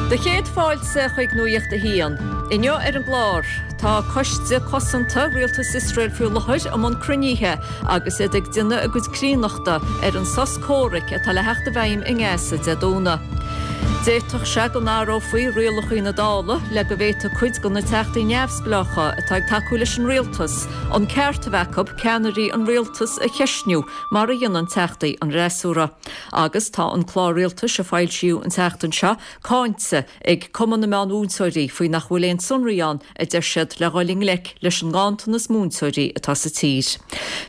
Do chéad fáilte chuig Nuacht a hAon. Inniu ar an gclár, tá Coiste Cosanta Rialtas Iosrael faoi láthair i mbun cruinnithe agus iad ag déanamh a gcuid críonnachta ar an sos comhraic atá le theacht i bhfeidhm i nGaza Dé Domhnaigh. D'fhéadfadh sé go n-athrófaí rialacha na Dála le go bhféadfadh cuid de na teachtaí neamhspleácha atá ag tacú leis an rialtas an ceart a bheith acu ceannairí an rialtais a cheistniú mar a dhéanann teachtaí an fhreasúra. Agus tá an clár rialtais a foilsíodh an tseachtain seo cáinte ag Cumann na Meánmhúinteoirí faoi nach bhfuil aon sonraí ann a deir siad le dhul i ngleic leis an nganntanas múinteoirí atá sa tír.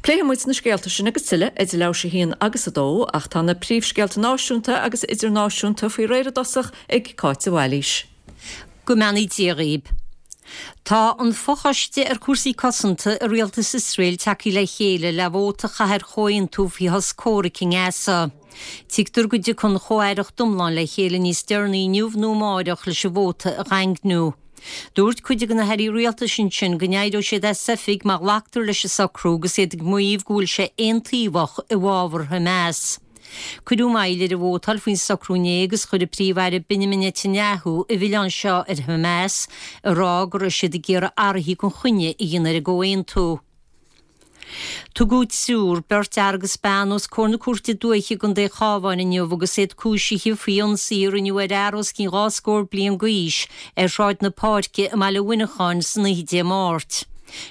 Pléifidh muid na scéalta sin agus tuilleadh idir leathuair tar éis a haon agus a dó ach tá na príomhscéalta náisiúnta agus idirnáisiúnta faoi réir i dtosach ag Cáit de Bhailís. Go mbeannaí Dia dhaoib. Tá an fochoiste ar chúrsaí cosanta i rialtas Iosrael tagtha le chéile le vóta a chaitheamh ar chomhaontú faoi shos comhraic i nGaza. Tuigtear go dtiocfaidh an chomh-aireacht iomlán le chéile níos deireanaí inniu nó amáireach leis an vóta a dhaingniú. Dúirt cuid de na hairí rialtais ansin go n-éireoidh siad as oifig má ghlactar leis an socrú agus iad ag maíomh go bhfuil sé aontaobhach i bhfabhar Hamas. Cuireadh moill ar an vótáil faoin socrú inné agus chuir an Príomh-Aire Benjamin Netanyahu an milleán seo ar Hamas, ag rá go raibh siad ag iarraidh athruithe gan choinne a dhéanamh ar an gcomhaontú. Tugadh triúr, beirt fhear agus bean, os comhair na Cúirte Dúiche i gContae an Chabháin inniu agus iad cúisithe faoi ionsaí a rinneadh ar fhear os cionn dhá scór bliain d'aois ar Shráid na Páirce i mbaile Mhuineacháin san oíche Dé Máirt.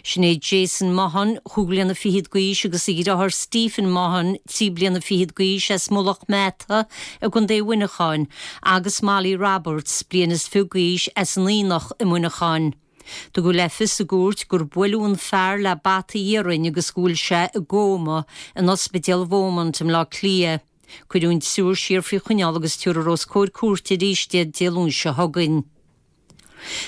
Sin é Jason Mahon, chúig bliana fichead d'aois, agus a dheartháir Stephen Mahon, trí bliana fichead d'aois, as Mullach Meata i gContae Mhuineacháin, agus Molly Roberts, bliain is fiche d'aois, as an Aonach i Muineachán. Tugadh le fios i gcúirt gur buaileadh an fear le bata iarainn agus go bhfuil sé i gcóma in Ospidéal Beaumont i mBleá Cliath. Cuireadh an triúr siar faoi choinneáil agus tabharfar os comhair cúirte arís iad Dé Luain seo chugainn.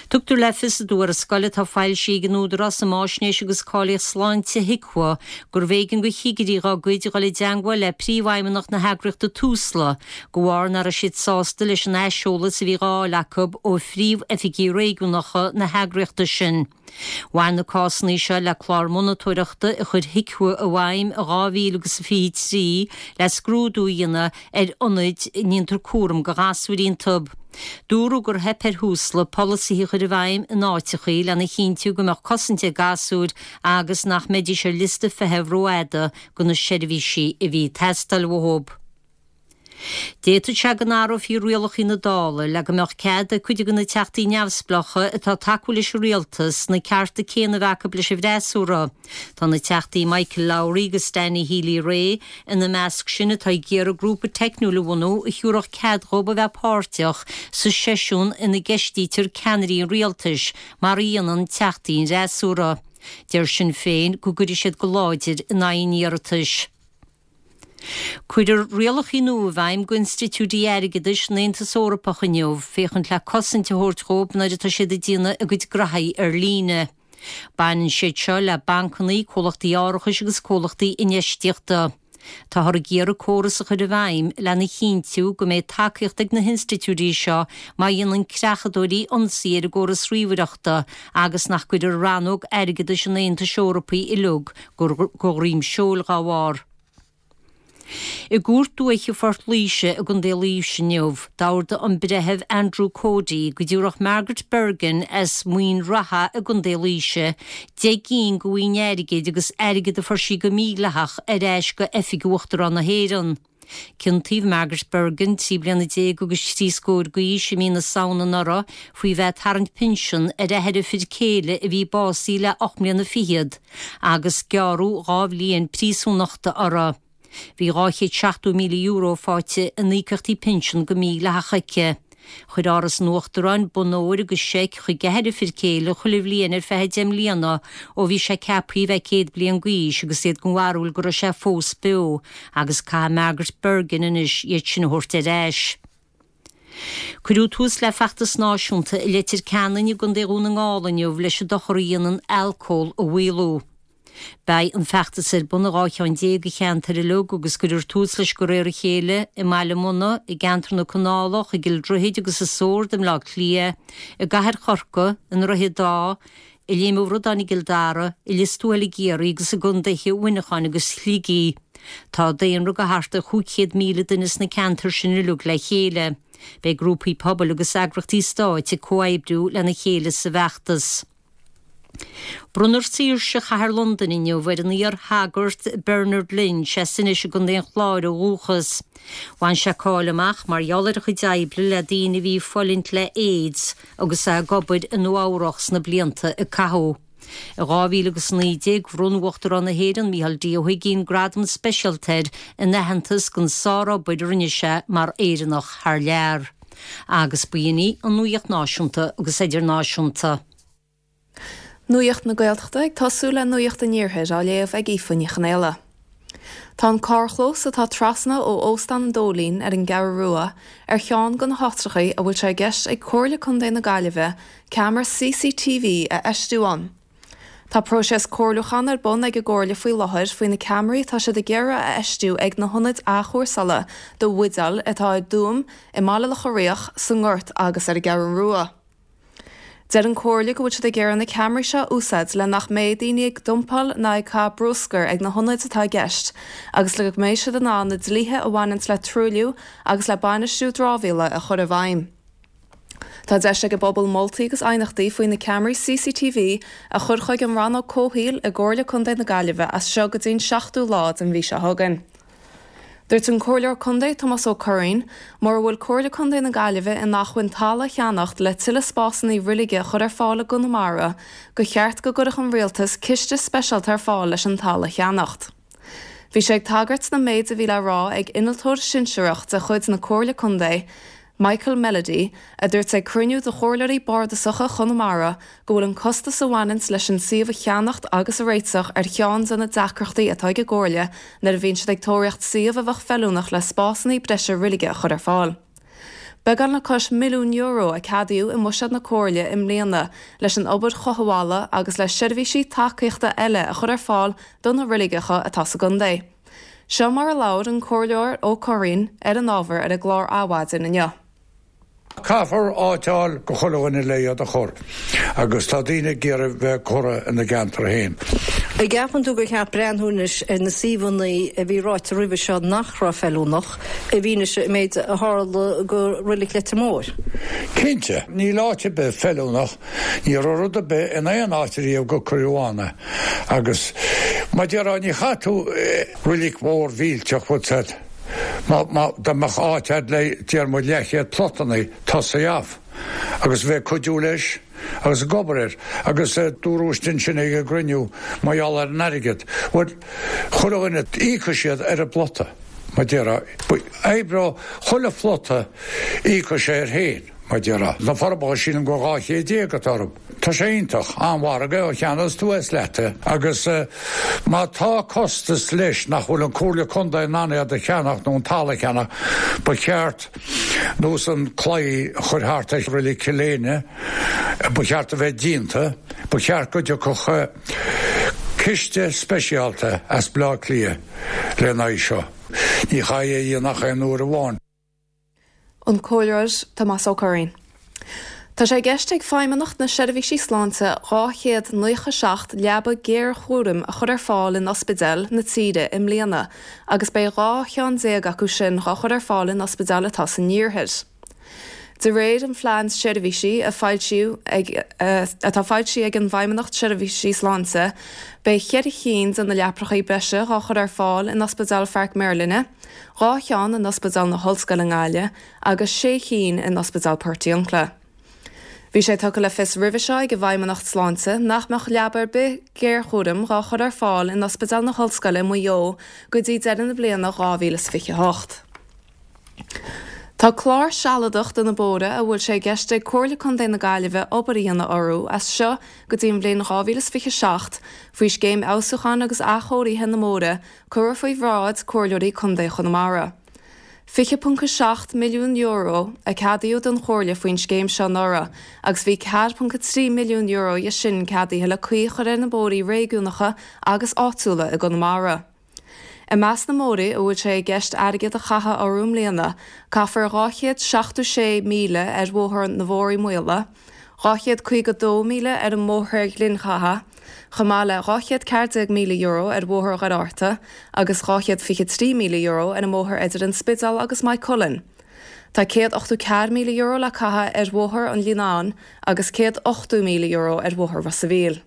Tugtar le fios i dtuarascáil atá foilsithe ag an Údarás um Fháisnéis agus Cáilíocht Sláinte, HIQA, gurbh éigean do chigirí dá gcuid dul i dteangmháil le príomhfheidhmeannach na heagraíochta Tusla de bharr nach raibh siad sásta leis an aiseolas a bhí dhá fháil acu ó phríomhoifigí réigiúnacha na heagraíochta sin. Bhain na cásanna seo le clár monatóireachta a chuir HIQA i bhfeidhm in 2023 le scrúdú a dhéanamh ar ionaid a ndéantar cúram do ghasúir iontu. Dúradh gur theip ar Thusla polasaithe a chur i bhfeidhm in áiteachaí lena chinntiú go mbeadh cosaint ag gasúir agus nach mbeidís ar liosta feithimh rófhada do na seirbhísí a bhí ag teastáil uathu. D'fhéadfadh sé go n-athrófaí rialacha na Dála le go mbeadh cead ag cuid de na teachtaí neamhspleácha atá ag tacú leis an rialtas na cearta céanna a bheith acu leis an bhfreasúra. Tá na teachtaí Michael Lowry agus Danny Healy-Rae ina measc sin atá ag iarraidh grúpa teicniúil a bhunú a thiúrfadh cead dhóibh a bheith páirteach sa seisiún ina gceistítear ceannairí an rialtais mar a dhéanann teachtaí an fhreasúra. Deir Sinn Féin go gcuirfidh siad go láidir in aghaidh an iarratais. Cuirfear rialacha nua i bhfeidhm d'institiúidí airgeadais an Aontais Eorpach inniu féachaint le cosaint a thabhairt dhóibh nuair atá siad ag déanamh a gcuid graithí ar líne. Baineann siad seo le bancanna, comhlachtaí árachais agus comhlachtaí infheistíochta. Táthar ag iarraidh córas a chur i bhfeidhm lena chinntiú go mbeidh tacaíocht ag na hinstitiúidí seo má dhéanann creachadóirí ionsaí ar a gcóras ríomhaireachta agus nach gcuirfear rannóg airgeadais an Aontais Eorpaigh uilig go dhroim seoil dá bharr. I gCúirt Dúiche Phort Laoise i gContae Laoise inniu, d'ordaigh an Breitheamh Andrew Cody go dtabharfadh Margaret Bergin as Muine Rátha i gContae Laoise 10 gcinn de bhoinn airgid agus airgead a fuair sí go mídhleathach ar ais go Oifig Uachtarán na hÉireann. Ciontaíodh Margaret Bergin, 13 bliana agus trí scór d'aois, i mí na Samhna anuraidh faoi bheith ag tarraingt pinsean ar athair a fir céile a bhí básaithe le 8 mbliana fichead, agus gearradh 2 bhliain príosúnachta uirthi. Bhí €270,000 faighte in íocaíochtaí pinsean go mídhleathach aici. Chuir Áras an Uachtaráin bonn óir agus seic chuig athair a fir céile chuile bhliain ar feadh 10 mbliana ó bhí sé ceaptha a bheith 100 bliain d'aois agus iad den bharúil go raibh sé fós beo agus caithfidh Margaret Bergin anois iad sin a thabhairt ar ais. Cuireadh tús le feachtas náisiúnta i Leitir Ceanainn i gContae Dhún na nGall inniu leis an dochar a dhéanann alcól a mhaolú. Beidh an feachtas ar bun i 12 cheann de cheantair uilig agus cuirfear tús leis de réir a chéile i mBaile Munna, i gceantar na Canálach, i gCill Droichid agus i Sord i mBleá Cliath, i gCathair Chorcaí, i nDroichead Átha, i Léim an Bhradáin i gCill Dara, i Lios Tuathail i gCiarraí agus i gcontaetha Mhuineacháin agus Shligigh. Tá daonra de thart ar 500,000 duine sna ceantair sin uilig le chéile. Beidh grúpaí pobail agus eagraíochtaí stáit ag comhoibriú lena chéile sa bhfeachtas. Bronnfar Saoirse Chathair Londain inniu ar an iar-shagart Bernard Lynch as Inis i gContae an Chláir ó dhúchas. Bhain sé cáil amach mar gheall ar a chuid oibre le daoine a bhí ag fulaingt le AIDS agus é ag obair i Nua Eabhrach sna blianta a caitheadh. I 2019 bhronn Uachtarán na hÉireann Micheál D Ó hUigínn gradam speisialta air in aitheantas don sárobair a rinne sé mar Éireannach thar lear. Agus b'in í an nuaíocht náisiúnta agus idirnáisiúnta. Nuacht na Gaeltachta ag tosú le Nuacht an Iarthair á léamh ag Aoife Ní Chonaola. Tá an carrchlós atá trasna ó Óstán an Dóilín ar an gCeathrú Rua ar cheann de na háitreachaí a bhfuil sé i gceist ag Comhairle Contae na Gaillimhe ceamara CCTV a fheistiú ann. Tá próiseas comhairliúcháin ar bun ag an gComhairle faoi láthair faoi na ceamaraí atá siad ag iarraidh a fheistiú ag na hionaid athchúrsála do bhuidéil atá i dTuaim, i mBaile Locha Riach, sa nGort agus ar an gCeathrú Rua. Deir an Comhairle go bhfuil siad ag iarraidh na ceamaraí seo a úsáid le nach mbeidh daoine ag dumpáil ná ag caitheamh bruscair ag na hionaid atá i gceist agus le go mbeidh siad in ann na dlíthe a bhaineanns le truailliú agus le bainistiú dramhaíola a chur i bhfeidhm. Tá deis ag an bpobal moltaí agus aighneachtaí faoi na ceamaraí CCTV a chur chuig an Rannóg Comhshaoil i gComhairle Contae na Gaillimhe as seo go dtí an 7ú lá den mhí seo chugainn. Dúirt an Comhairleoir Contae Tomás Ó Curraoin, mura bhfuil Comhairle Contae na Gaillimhe in acmhainn talamh a cheannacht le tuilleadh spásanna reilige a chur ar fáil i gConamara, gur cheart go gcuirfeadh an Rialtas ciste speisialta ar fáil leis an talamh a cheannacht. Bhí sé ag tagairt don méid a bhí le rá ag innealtóir sinsearach de chuid na Comhairle Contae, Michael Melody, a dúirt ag cruinniú de chomhairleoirí bardasacha Chonamara go bhfuil an costas a bhaineanns leis an suíomh a cheannacht agus a réiteach ar cheann de na deacrachtaí atá ag an gComhairle nuair a bhíonn siad ag tóraíocht suíomh a bheadh feiliúnach le spásanna breise reilige a chur ar fáil. Beagán le cois €1 milliún a ceadaíodh i mbuiséad na Comhairle i mbliana leis an obair chothabhála agus le seirbhísí tacaíochta eile a chur ar fáil do na reiligeacha atá sa gcontae. Seo mar a labhair an Comhairleoir Ó Curraoin ar an ábhar ar an gclár Adhmhaidin inniu. Caithfear áit a fháil go chuile dhuine le iad a chur agus tá daoine ag iarraidh bheith curtha ina gceantar féin. An gceapann tú gur cheart breathnú anois ar na suíomhanna a bhí ráite roimhe seo nach raibh feiliúnach, i bhfianaise an méid a tharla go Reilig Leitir Móir? Cinnte. Níl áit ar bith feiliúnach. Ní raibh rud ar bith in aon áit ariamh gur cuireadh ann é. Agus mar déarfá ní chaithfidh tú roilig mhór mhillteach bhfuil 's a'd má má dá mbeadh áit a'd le deir muid leathchéad plotannaí tosaigh off agus bheith ag cuidiú leis agus ag obair air agus dúradh ansin ag an gcruinniú mar gheall ar an airgead bhuel chuile dhuine íocfaidh siad ar an bplota mar déarfá oibreoidh chuile phlota íocfaidh sé air féin mar déarfá. Na Forbacha sílim gur 1200 atá orthu. Tá sé iontach, an-mhargadh a cheannós tú as leat é agus má tá costas leis nach bhfuil an Comhairle Contae in ann iad a cheannach nó an talamh a cheannach, ba cheart nós an claí a chur thart ar Reilig Chill Éinne, ba cheart a bheith díonta, ba cheart go dtiocfadh ciste speisialta as Bleá Cliath lena aghaidh seo. Ní chaithfidh é a dhéanamh ach aon uair amháin. An Comhairleoir Tomás Ó Curraoin. Tá sé i gceist ag Feidhmeannacht na Seirbhísí Sláinte 297 leaba géarchúraim a chur ar fáil in ospidéil na tíre i mbliana agus beidh 12 cheann acu sin dhá chur ar fáil in ospidéil atá san iarthar. De réir an phlean seirbhísí a foilsíodh ag atá foilsithe ag an bhFeidhmeannacht Seirbhísí Sláinte, beidh cheithre chinn de na leaprachaí breise dhá chur ar fáil in Ospidéal Pháirc Merlinne, 2 cheann in Ospidéal na hOllscoile i nGaillimh agus 6 chinn in Ospidéal Portiuncla. Bhí sé tugtha le fios roimhe seo ag an bhFeidhmeannacht Sláinte nach mbeadh leaba ar bith géarchúraim dhá chur ar fáil in Ospidéal na hOllscoile i Maigh Eo go dtí deireadh na bliana 2028. Tá clár sealadach do na bóithre a bhfuil sé i gceist ag Comhairle Contae na Gaillimhe obair a dhéanamh orthu as seo go dtí an bhliain 2027 faoi Scéim Fheabhsúcháin agus Athchóirithe na mBóithre Curtha faoi bhráid Comhairleoirí Contae Chonamara. €20.7 milliún a ceadaíodh don Chomhairle faoin scéim seo anuraidh agus bhí €4.3 milliún dhe sin ceadaithe le caoi a chur ar na bóithrí réigiúnacha agus áitiúla i gConamara. I measc na mbóithre a bhfuil sé i gceist airgead a chaitheamh orthu i mbliana, caithfear 276 míle ar Bhóthar na bhForaí Maola, 252,000 ar an mBóthar Ghleann Chatha, chomh maith le €214,000 ar Bhóthar Dhoire Fhatharta agus €223,000 ar an mbóthar idir an Spidéal agus Maigh Cuilinn. Tá €184,000 le caitheamh ar Bhóthar an Líonáin agus €180,000 ar Bhóthar Ros a' Mhíl.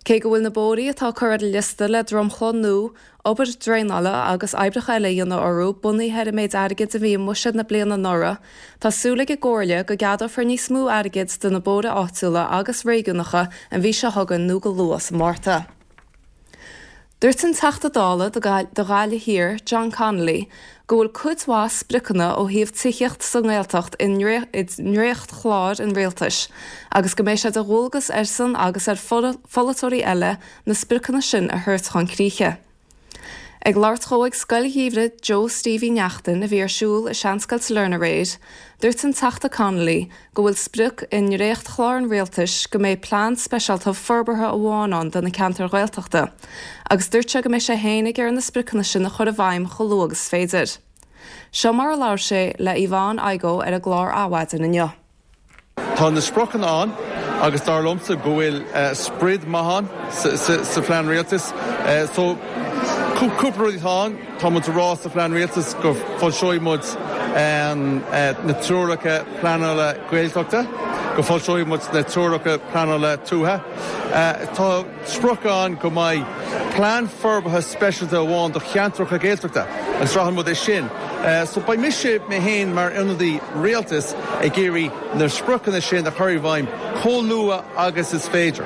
Cé go bhfuil na bóithrí atá curtha ar an liosta le dromchla nua, obair draenála agus oibreacha eile a dhéanamh orthu bunaithe ar an méid airgid a bhí i mbuiséad na bliana anuraidh, tá súil ag an gComhairle go gceadófar níos mó airgid do na bóithre áitiúla agus réigiúnacha an mhí seo chugainn nó go luath sa Mhárta. Dúirt an Teachta Dála do Ghaillimh Thiar, John Connolly, go bhfuil cuid mhaith spriocanna ó thaobh tithíocht sa nGaeltacht i ndréachtchlár an Rialtais agus go mbeidh sé de dhualgas airsean agus ar pholaiteoirí eile na spriocanna sin a thabhairt chun críche. Ag labhairt dhó ag Scoil Gheimhridh Joe Steve Uí Neachtain a bhí ar siúl i Seanscoil Sailearna aréir, dúirt an Teachta Connolly go bhfuil sprioc i ndréachtchlár an Rialtais go mbeidh plean speisialta forbartha amháin ann do na ceantair Ghaeltachta agus dúirt sé go mbeidh sé féin ag iarraidh na spriocanna sin a chur i bhfeidhm chomh luath agus is féidir. Seo mar a labhair sé le Yvonne Igoe ar an gclár Adhmhaidin inniu. Tá na spriocanna ann agus dar liomsa go bhfuil sprid maith ann sa phlean rialtais. So cúpla rud atá ann. Tá muid ag rá sa phlean rialtais go foilseoidh muid na treoracha pleanála Gaeltachta, go foilseoidh muid na treoracha pleanála tuaithe. Tá sprioc ann go mbeidh plean forbartha speisialta amháin do cheantracha Gaeltachta agus rachadh muid é sin. So beidh mise mé féin mar ionadaí rialtais ag iarraidh na spriocanna sin a chur i bhfeidhm chomh luath agus is féidir.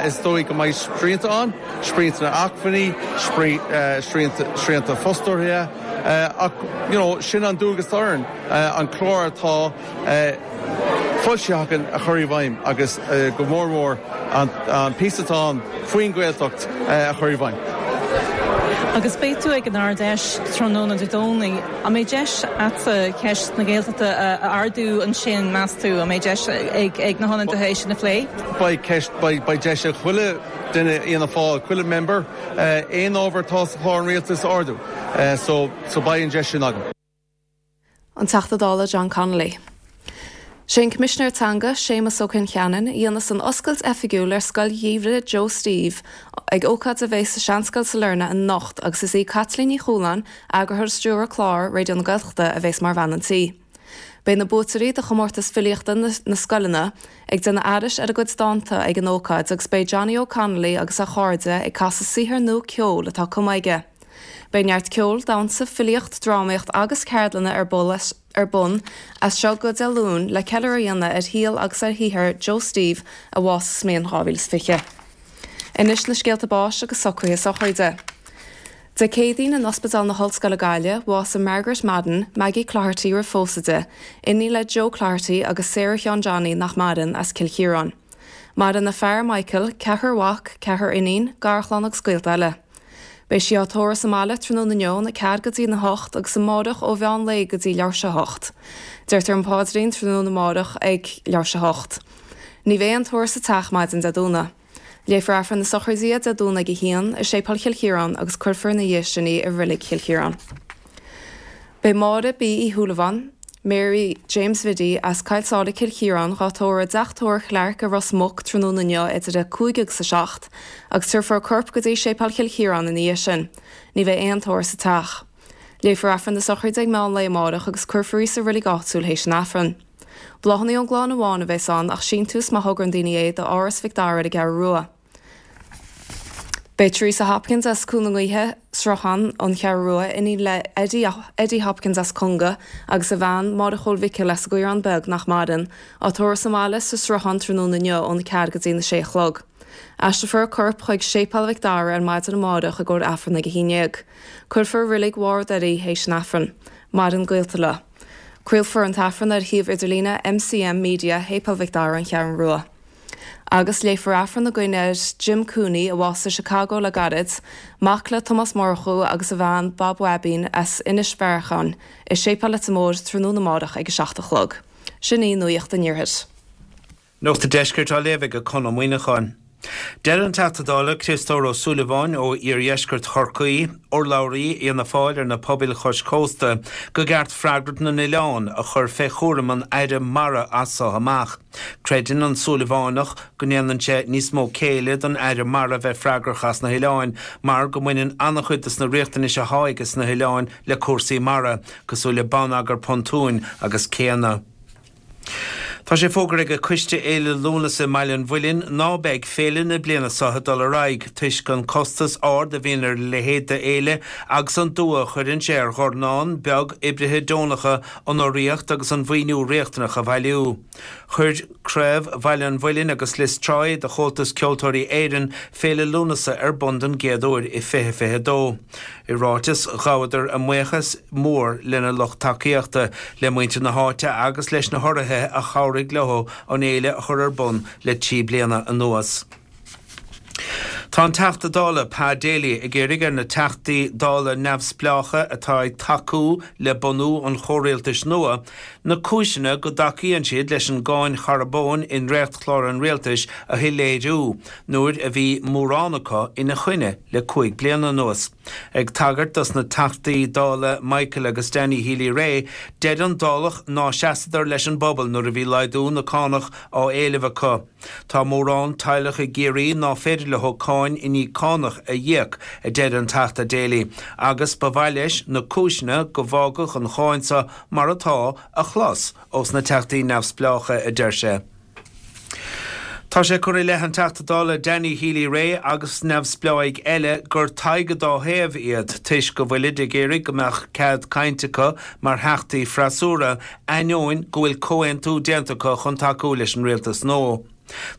Is dóigh go mbeidh srianta ann. srianta acmhainní, srianta fostóirí, ach you know sin an dualgas atá orainn, an clár atá foilsithe againn a chur i bhfeidhm agus go mór mór an píosa atá ann faoin Ghaeltacht a chur i bhfeidhm. Agus beidh tú ag an Ard-Fheis tráthnóna Dé Domhnaigh. An mbeidh deis agatsa ceist na Gaeltachta a ardú ansin, meas tú? An mbeidh deis ag na hionadaithe é sin a phlé? Beidh ceist, beidh deis ag chuile. duine Fhianna Fáil, chuile member, aon ábhar atá sa chlár an rialtais a ardú. So, so beidh an deis sin agam. An Teachta Dála John Connolly. Sé an Coimisinéir Teanga, Séamus Ó Concheanainn, a dhéanfas an oscailt oifigiúil ar Scoil Gheimhridh Joe Steve ag ócáid a bheas sa Seanscoil Sailearna anocht agus is í Caitlín Ní Chualáin, Eagarthóir is Stiúrthóir Clár, Raidió na Gaeltachta, a bheas mar bhean an tí. Beidh na buaiteoirí do chomórtas filíochta na scoileanna ag déanamh aithris ar a gcuid dánta ag an ócáid agus beidh Johnny O'Connolly agus a chairde ag casadh saothar nua ceoil atá cumtha aige. Beidh neart ceoil, damhsa, filíocht, drámaíocht agus ceardlanna ar ar bun as seo go Dé Luain le ceiliúradh a dhéanamh ar shaol agus ar shaothar Joe Steve a bhásaigh sa mbliain 2020. Anois na scéalta báis agus socruithe sochraide. Dé Céadaoin in Ospidéal na hOllscoile Gaillimh, bhásaigh Margaret Madden, Maggie Cloherty roimh phósadh di, iníon le Joe Cloherty agus Sarah Sheáin Johnny nach maireann, as Cill Chiaráin. Maireann a fear, Michael, ceathrar mhac, ceathrar iníon, garchlann agus gaolta eile. Beidh sí á tórramh sa mbaile tráthnóna inniu óna ceathair go dtí na hocht agus amáireach ó mheán lae go dtí leathuair tar éis a hocht. Deirtear an paidrín tráthnóna amáireach ag leathuair tar éis a hocht. Ní bheidh aon tórramh sa teach maidin Dé Domhnaigh. Léifear Aifreann na sochraide Dé Domhnaigh ag a haon i Séipéal Chill Chiaráin agus cuirfear ina dhiaidh sin í i Reilig Chill Chiaráin. Beidh Máire B Uí Shúilleabháin, Mary James Bhiddy, as Coill Sáile Cill Chiaráin dhá tórramh i dTeach Tórraimh Chlarke i Ros Muc tráthnóna inniu idir 5 agus 7 agus tabharfar a corp go dtí Séipéal Chill Chiaráin ina dhiaidh sin. Ní bheidh aon tórramh sa teach. Léifear Aifreann na sochraide ag meán lae amárach agus cuirfear í sa reilig áitiúil théis an Aifrinn. Bláthanna ón gclann amháin a bheas ann ach síntiús má thograíonn daoine é do Áras Mhic Dara ar an gCeathrú Rua. Beidh Teresa Hopkins as Cúil na nGaoithe, Sruthán, An Cheathrú Rua, iníon le Eddie Eddie Hopkins as Conga agus a bhean, Máire Chóil Mhicil as an gCaorán Beag nach maireann, á tórramh sa mbaile sa Sruthán tráthnóna inniu óna ceathair go dtí na sé a chlog. Aistreofar a corp chuig Séipéal Mhic Dara ar maidin amárach i gcomhair Aifreann ag a haon dhéag. Cuirfear i Reilig Bharr Doire í théis an Aifrinn. Maireann gaolta leo. Craolfar an t-aifreann ar shuíomh idirlíne MCM Media Shéipéal Mhic Dara, An Cheathrú Rua. Agus léifear aifreann i gcuimhne ar Jim Cooney, a bhásaigh i Chicago le gairid, mac le Tomás Murchú agus a bhean Bob Bhaibín as Inis Bhearcháin, i Séipéal Leitir Móir tráthnóna amárach ag 7 a chlog. Sin í Nuacht an Iarthair. Nuacht an Deiscirt á léamh ag Conn Ó Muíneacháin. Deir an Teachta Dála Criostóir Ó Súilleabháin ó iardheisceart Chorcaí, urlabhraí Fhianna Fáil ar na pobail chois cósta, go gceart freagracht na n-oileán a chur fé chúram an Aire Mara as so amach. Creideann an Súilleabhánach go ndéanann sé níos mó céille don Aire Mara bheith freagrach as na hoileáin mar go mbaineann an-chuid dos na riachtanais athá aige sna hoileáin le cúrsaí mara, cosúil le bonneagar pontúin agus céanna. Tá sé fógartha ag Coiste Fhéile Lúnasa i mBaile an Mhuilinn ná beidh féile na bliana seo ag dul ar aghaidh toisc an costas ard a bhíonn ar a leithéid de fhéile agus an dua a chuireann sé ar dhornán beag oibrithe deonacha an urraíocht agus an mhaoiniú riachtanach a bhailiú. Chuir Craobh Bhaile an Mhuilinn agus Lios Tuathail de Chomhaltas Ceoltóirí Éireann Féile Lúnasa ar bun don gcéad uair i 2022. I ráiteas, ghabhadar a mbuíochas mór lena lucht tacaíochta, le muintir na háite agus leis na hurraithe a chabhraigh leo an fhéile a chur ar bun le 3 bliana anuas. Tá an Teachta Dála Pa Daly ag iarraidh ar na Teachtaí Dála neamhspleácha atá ag tacú le bunú an chomhrialtais nua na cúiseanna go dtacaíonn siad leis an gcáin charbóin i ndréachtchlár an rialtais a shoiléiriú nuair a bhí mórán acu ina choinne le 5 bliana anuas. Ag tagairt dos na Teachtaí Dála Michael agus Danny Healy-Rae, deir an Dálach ná seasadar leis an bpobal nuair a bhí laghdú na cánach á éileamh acu. Tá mórán teaghlach i gCiarraí ná féidir leo cáin i ndiaidh cánach a íoc, a deir an Teachta Daly, agus ba mhaith leis na cúiseanna go bhfágadh an cháin seo mar atá a chlos ós na Teachtaí neamhspleácha, a deir sé. Tá sé curtha i leith an Teachta Dála Danny Healy-Rae agus neamhspleáigh eile gur Tadhg an dá thaobh iad toisc go bhfuilid ag iarraidh go mbeadh cead cainte acu mar theachtaí freasúra ainneoin go bhfuil comhaontú déanta acu chun tacú leis an rialtas nua.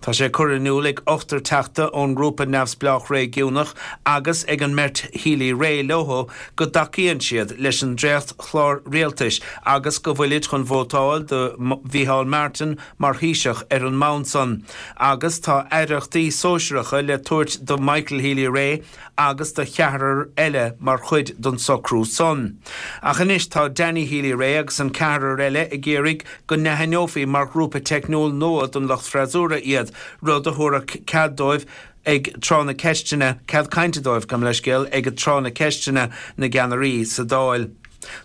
Tá sé curtha in iúl ag ochtar teachta ón ngrúpa neamhspleách réigiúnach agus ag an mbeirt Healy-Rae leo go dtacaíonn siad leis an dréacht-chlár rialtais agus go bhfuilid chun vótáil do Mhícheál Martin mar Thaoiseach ar an mbonn san agus tá aireachtaí sóisearacha le tabhairt do Michael Healy-Rae agus do cheathrar eile mar chuid den socrú san. Ach anois tá Danny Healy-Rae agus an ceathrar eile ag iarraidh go n-aithneofaí mar ghrúpa teicniúil nua don lucht freasúra iad, rud a thabharfadh cead dóibh ag tráth na ceisteanna, cead cainte dóibh, gabh mo leithscéal, ag tráth na ceisteanna na gceannairí sa Dáil.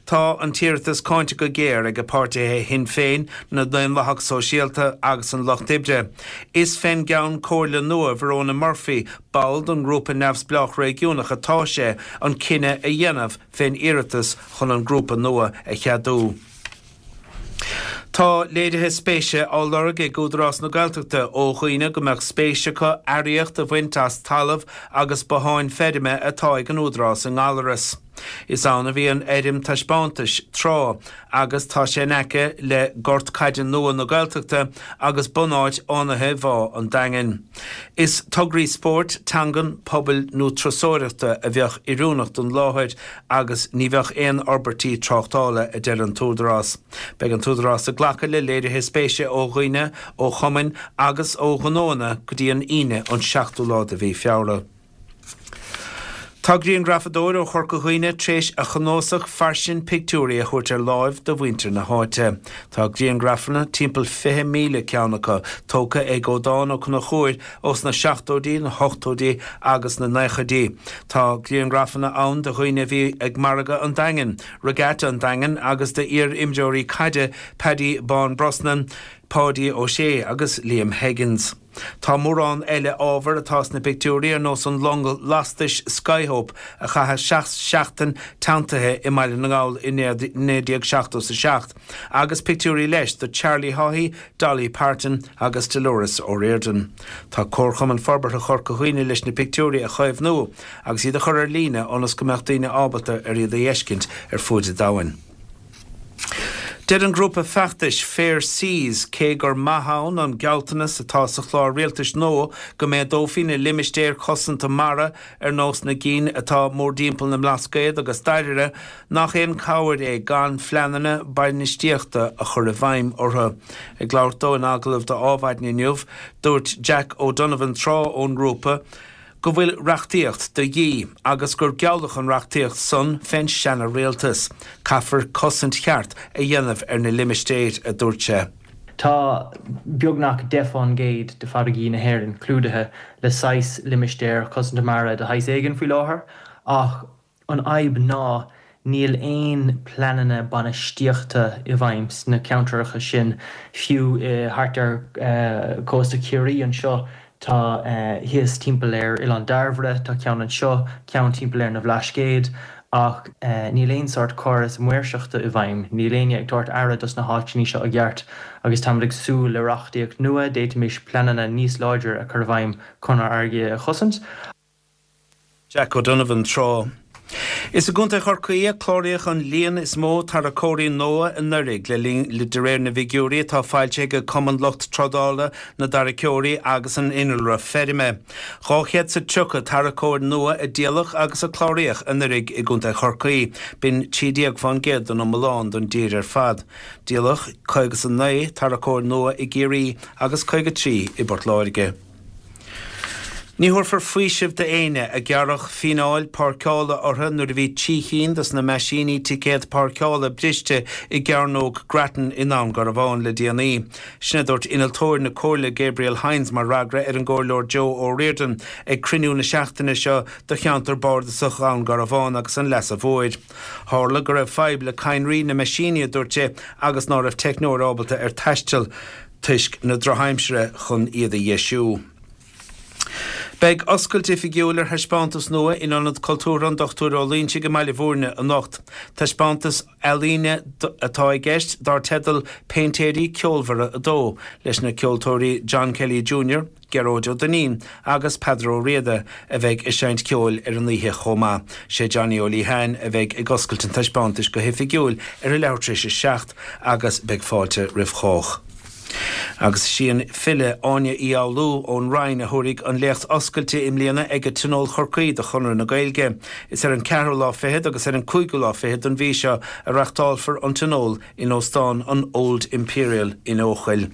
Tá an t-iarratas cáinte go géar ag páirtithe Shinn Féin, na Daonlathach Sóisialta agus an Lucht Oibre. Is fén gCeann Comhairle nua Verona Murphy, ball den ngrúpa neamhspleách réigiúnach atá sé an cinneadh a dhéanamh fén iarratas chun an grúpa nua a cheadú. Tá léirithe spéise á lorg ag Údarás na Gaeltachta ó dhaoine go mbeadh spéis acu earraíocht a bhaint as talamh agus botháin feirme atá ag an Údarás i nGallaras. Is ann a bhí an fheirm taispeántais tráth agus tá sé in aice le gort caide nua na Gaeltachta agus bunáit fhánaithe Bhá an Daingin. Is tograí spóirt, teangan, pobail nó turasóireachta a bheadh oiriúnach don láthair agus ní bheadh aon fhorbairtí tráchtála, a deir an tÚdarás. Beidh an tÚdarás ag glacadh le léirithe spéise ó dhaoine, ó chumainn agus ó ghnóanna go dtí an Aoine an 7ú lá de mhí Feabhra. Tá grianghrafadóir ó Chorca Dhuibhne tréis a chnuasach fairsing pictiúirí a thabhairt ar láimh do mhuintir na háite. Tá grianghrafanna, timpeall 20,000 ceann acu, tógtha ag Aodán Ó Conchúir ós na seachtóidí, na hochtóidí agus na naochaidí. Tá grianghrafanna ann de dhaoine a bhí ag margadh an Daingin, Regatta an Daingin agus d'iar-imreoirí caide Paddy Bán Brosnan, Páidí Ó Sé agus Liam Higgins. Tá mórán eile ábhar atá sna pictiúirí ar nós an long lastais Skyhope a chaith seachtain teanntaithe i mBaile na nGall i 1977 agus pictiúirí leis de Charlie Haughey, Dolly Parton agus Dolores O'Riordan. Tá Comharchumann Forbartha Chorca Dhuibhne leis na pictiúirí a chaomhnú agus iad a chur ar líne ionas go mbeadh daoine ábalta ar iad a fheiscint ar fuaid an domhain. Deir an grúpa feachtais Fair Seas cé gur maith ann an gealltanas atá sa chlár rialtais nua go méadófaí na limistéir cosanta mara ar nós na gcinn atá mórdtimpeall na mBlascaod agus Dairbhre, nach aon cabhair é gan phleananna bainistíochta a chur i bhfeidhm orthu. Ag labhairt dó in agallamh do Adhmhaidin inniu, dúirt Jack O'Donovan Trá ón ngrúpa, go bhfuil reachtaíocht de dhíth agus gur gealladh an reachtaíocht san fén seana-rialtas. Caithfear cosaint cheart a dhéanamh ar na limistéir, a dúirt sé. Tá beagnach 10 fán gcéad de farraigí na hÉireann clúdaithe le saghas limistéir cosanta mara de shaghas éigin faoi láthair, ach an fhadhb ná níl aon pleananna bainistíochta i bhfeidhm sna ceantracha sin, fiú thart ar chósta Chiarraí anseo Tá thíos timpeall ar Oileán Dairbhre, tá ceann anseo, ceann timpeall ar na Bhlascaoid, ach níl aon sórt córas maoirseachta i bhfeidhm, níl éinne ag tabhairt aire dos na háiteanna seo i gceart agus táimid ag súil le reachtaíocht nua, d'fhéadfaimis pleananna níos láidre a chur i bhfeidhm chun ár bhfarraigí a chosaint. Jack O'Donovan tráth. Is i gContae Chorcaí a cláraíodh an líon is mó tarracóirí nua anuraidh le linn de réir na bhfigiúirí atá foilsithe ag Cumann Lucht Trádála na dTarraiceoirí agus an Innealra Feirme. 230 tarracóir nua a díoladh agus a cláraíodh anuraidh i gContae Chorcaí, b'in 13 fán gcéad den iomlán don dtír ar fad. Díoladh 59 tarracóir nua i gCiarraí agus 53 i bPort Láirge. Ní thabharfar faoiseamh d'éinne a gearradh fíneáil páirceála orthu nuair a bhí 3 chinn dos na meaisíní ticéad páirceála briste i gCearnóg Grattan i nDún Garbhán le déanaí. Sin a dúirt innealtóir na Comhairle Gabriel Hynes mar fhreagra ar an gComhairleoir Joe O'Riordan ag cruinniú na seachtaine seo do cheantar bardasach Dhún Garbhán agus an Leasa Mhóir. Tharla go raibh fadhb le cadhnraí na meaisíní, a dúirt sé, agus ná raibh teicneoir ábalta ar taisteal. toisc na drochaimsire chun iad a dheisiú. Beidh oscailt oifigiúil ar thaispeántas nua in Ionad Cultúrtha an Dr Ó Loingsigh i mBaile Bhúirne anocht. Taispeántas ealaíne atá i gceist dar teideal 'Péintéirí Ceolmhara 2' leis na ceoltóirí John Kelly Junior, Gearóid Ó Duinnín agus Peadar Ó Riada a bheidh ag seinnt ceoil ar an oíche chomh maith. Sé Johnny Ó Liatháin a bheidh ag oscailt an taispeántais go hoifigiúil ar a leathuair tar éis a 7 agus beidh fáilte roimh chách. Agus is í an file Áine Uí Fhoghlú ón Rinn a thabharfaidh an léacht oscailte i mbliana ag Tionól Chorcaí de Chonradh na Gaeilge. Is ar an ceathrú lá fichead agus ar an cúigiú lá fichead den mhí seo a reachtálfar an Tionól in Óstán an Old Imperial in Eochaill.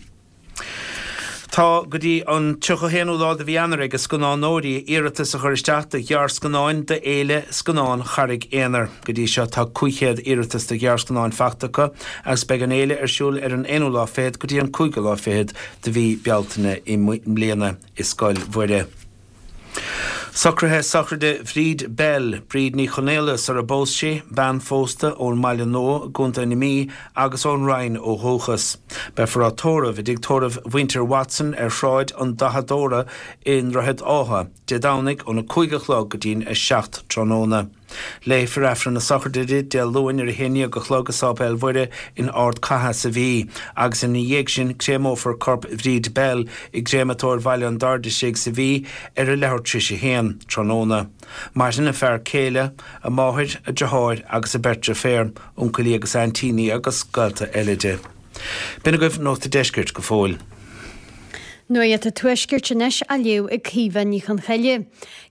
Tá go dtí an 31ú lá de mhí Eanáir ag scannánóirí iarratas a chur isteach do ghearrscannáin do Fhéile Scannán Charraig Aonair. Go dtí seo tá 500 iarratas do ghearrscannáin fachta acu agus beidh an fhéile ar siúl ar an aonú lá fichead go dtí an cúigiú lá fichead de mhí Bealtaine i mbliana i Scoil Mhuire. Socruithe sochraide Bhríd Bell, Bríd Ní Chonaola sara bpós sí, bean phósta ón mBaile Nua i gContae na Mí agus ón Rinn ó dhúchas. Beifear á tórramh i dtigh tórraimh mhuintir Watson ar Shráid an Dathadóra i nDroichead Átha, Dé Domhnaigh óna 5 a chlog go dtí'n 7 tráthnóna. Léifear Aifreann na sochraide di Dé Luain ar a haon dhéag a chlog i Sáipéal Mhuire in Ard Catha sa Mhí agus ina dhiaidh sin créamófar corp Bhríd Bell i gCréamatóir Bhaile an Dairdisigh sa Mhí ar a leathuair tar éis a haon tráthnóna. Maireann a fear céile, a máthair, a deartháir agus a beirt deirféar, uncailí agus aintíní agus gaolta eile di. B'in agaibh Nuacht a' Deiscirt go fóill. Nuacht an Tuaiscirt anois á léamh ag Caoimhe Ní Chonchoille.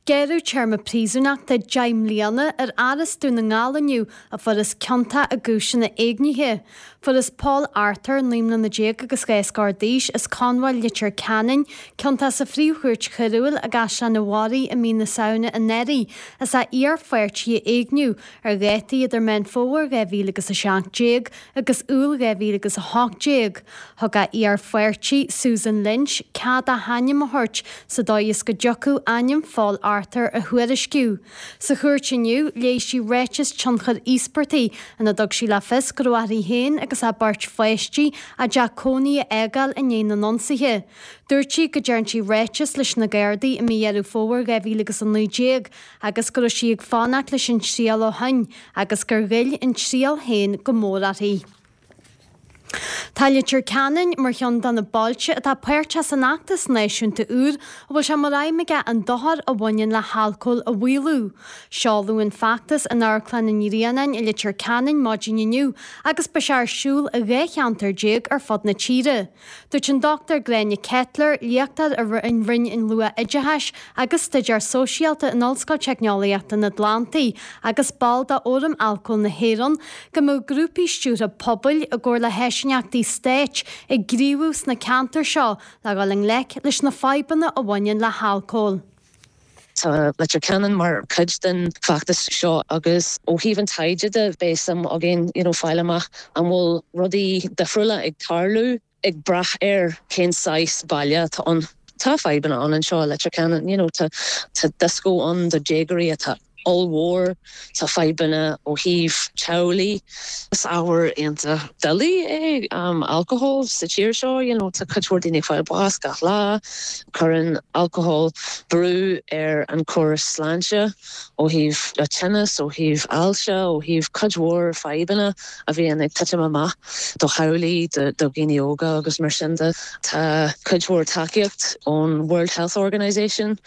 Gearradh téarma príosúnachta 10 mbliana ar fhear as Dún na nGall inniu a fuarthas ciontach i gcúiseanna éignithe. Fuarthas Paul Arthur, 19 mbliana agus dhá scór d'aois, as Conbhail Leitir Ceanainn, ciontach sa Phríomh-Chúirt Choiriúil i gCaisleán an Bharraigh i mí na Samhna anuraidh as a iarpháirtí a éigniú ar dhátaí idir Meán Fómhair 2017 agus Iúil 2018, thug a iarpháirtí, Susan Lynch, cead a hainm a thabhairt sa dóigh is go dtiocfadh ainm Phóil Arthur a thuairisciú. Sa chúirt inniu, léigh sí ráiteas tionchair íospartaigh ina dtug sí le fios go raibh uirthi féin agus a beirt pháistí a dteach cónaí a fhágáil i ndiaidh na n-ionsaithe. Dúirt sí go dtearn sí ráiteas leis na Gardaí i mí Dheireadh Fómhair 2019 agus go raibh sí ag fanacht leis an triail ó shin agus gur ghoill an triail féin go mór uirthi. Tá Leitir Ceanainn mar cheann de na bailte atá páirteach san fheachtas náisiúnta úr a bhfuil sé mar aidhm aige an dochar a bhaineann le halcól a mhaolú. Seoladh an feachtas in Amharclann an Ghrianáin i Leitir Ceanainn maidin inniu agus beidh sé ar siúl i 12 cheantar ar fud na tíre. Dúirt an Dr Gráinne Kettler, léachtóir i Roinn an Luath-Oideachais agus Staidéar Sóisialta in Ollscoil Teicneolaíochta an Atlantaigh agus ball de Fhóram Alcóil na hÉireann, go mbeadh grúpaí stiúrtha pobail, i gcomhar le háisíneachtaí stáit, ag gníomhú sna ceantair seo le dhul i ngleic leis na fadhbanna a bhaineann le halcól. Tá Leitir Ceanainn mar chuid den bhfeachtas seo agus ó thaobh an taighde de beidh suim againn you know fáil amach an bhfuil rudaí difriúla ag tarlú. ag brath ar cén saghas baile atá ann. Tá fadhbanna ann anseo i Leitir Ceanainn, you know, tá tá dioscó ann do déagóirí atá ollmhór, tá fadhbanna ó thaobh teaghlaigh. Is ábhar iontach doiligh é alcohol sa tír seo, you know, tá cuid mhór daoine ag fáil bás gach lá. Cuireann alcohol brú ar an córas sláinte ó thaobh tinneas, ó thaobh ailse, ó thaobh cuid mhór fadhbanna a bhíonn ag titim amach do theaghlaigh, do dhaoine óga agus mar sin de. Tá cuid mhór tacaíocht ón World Health Organisation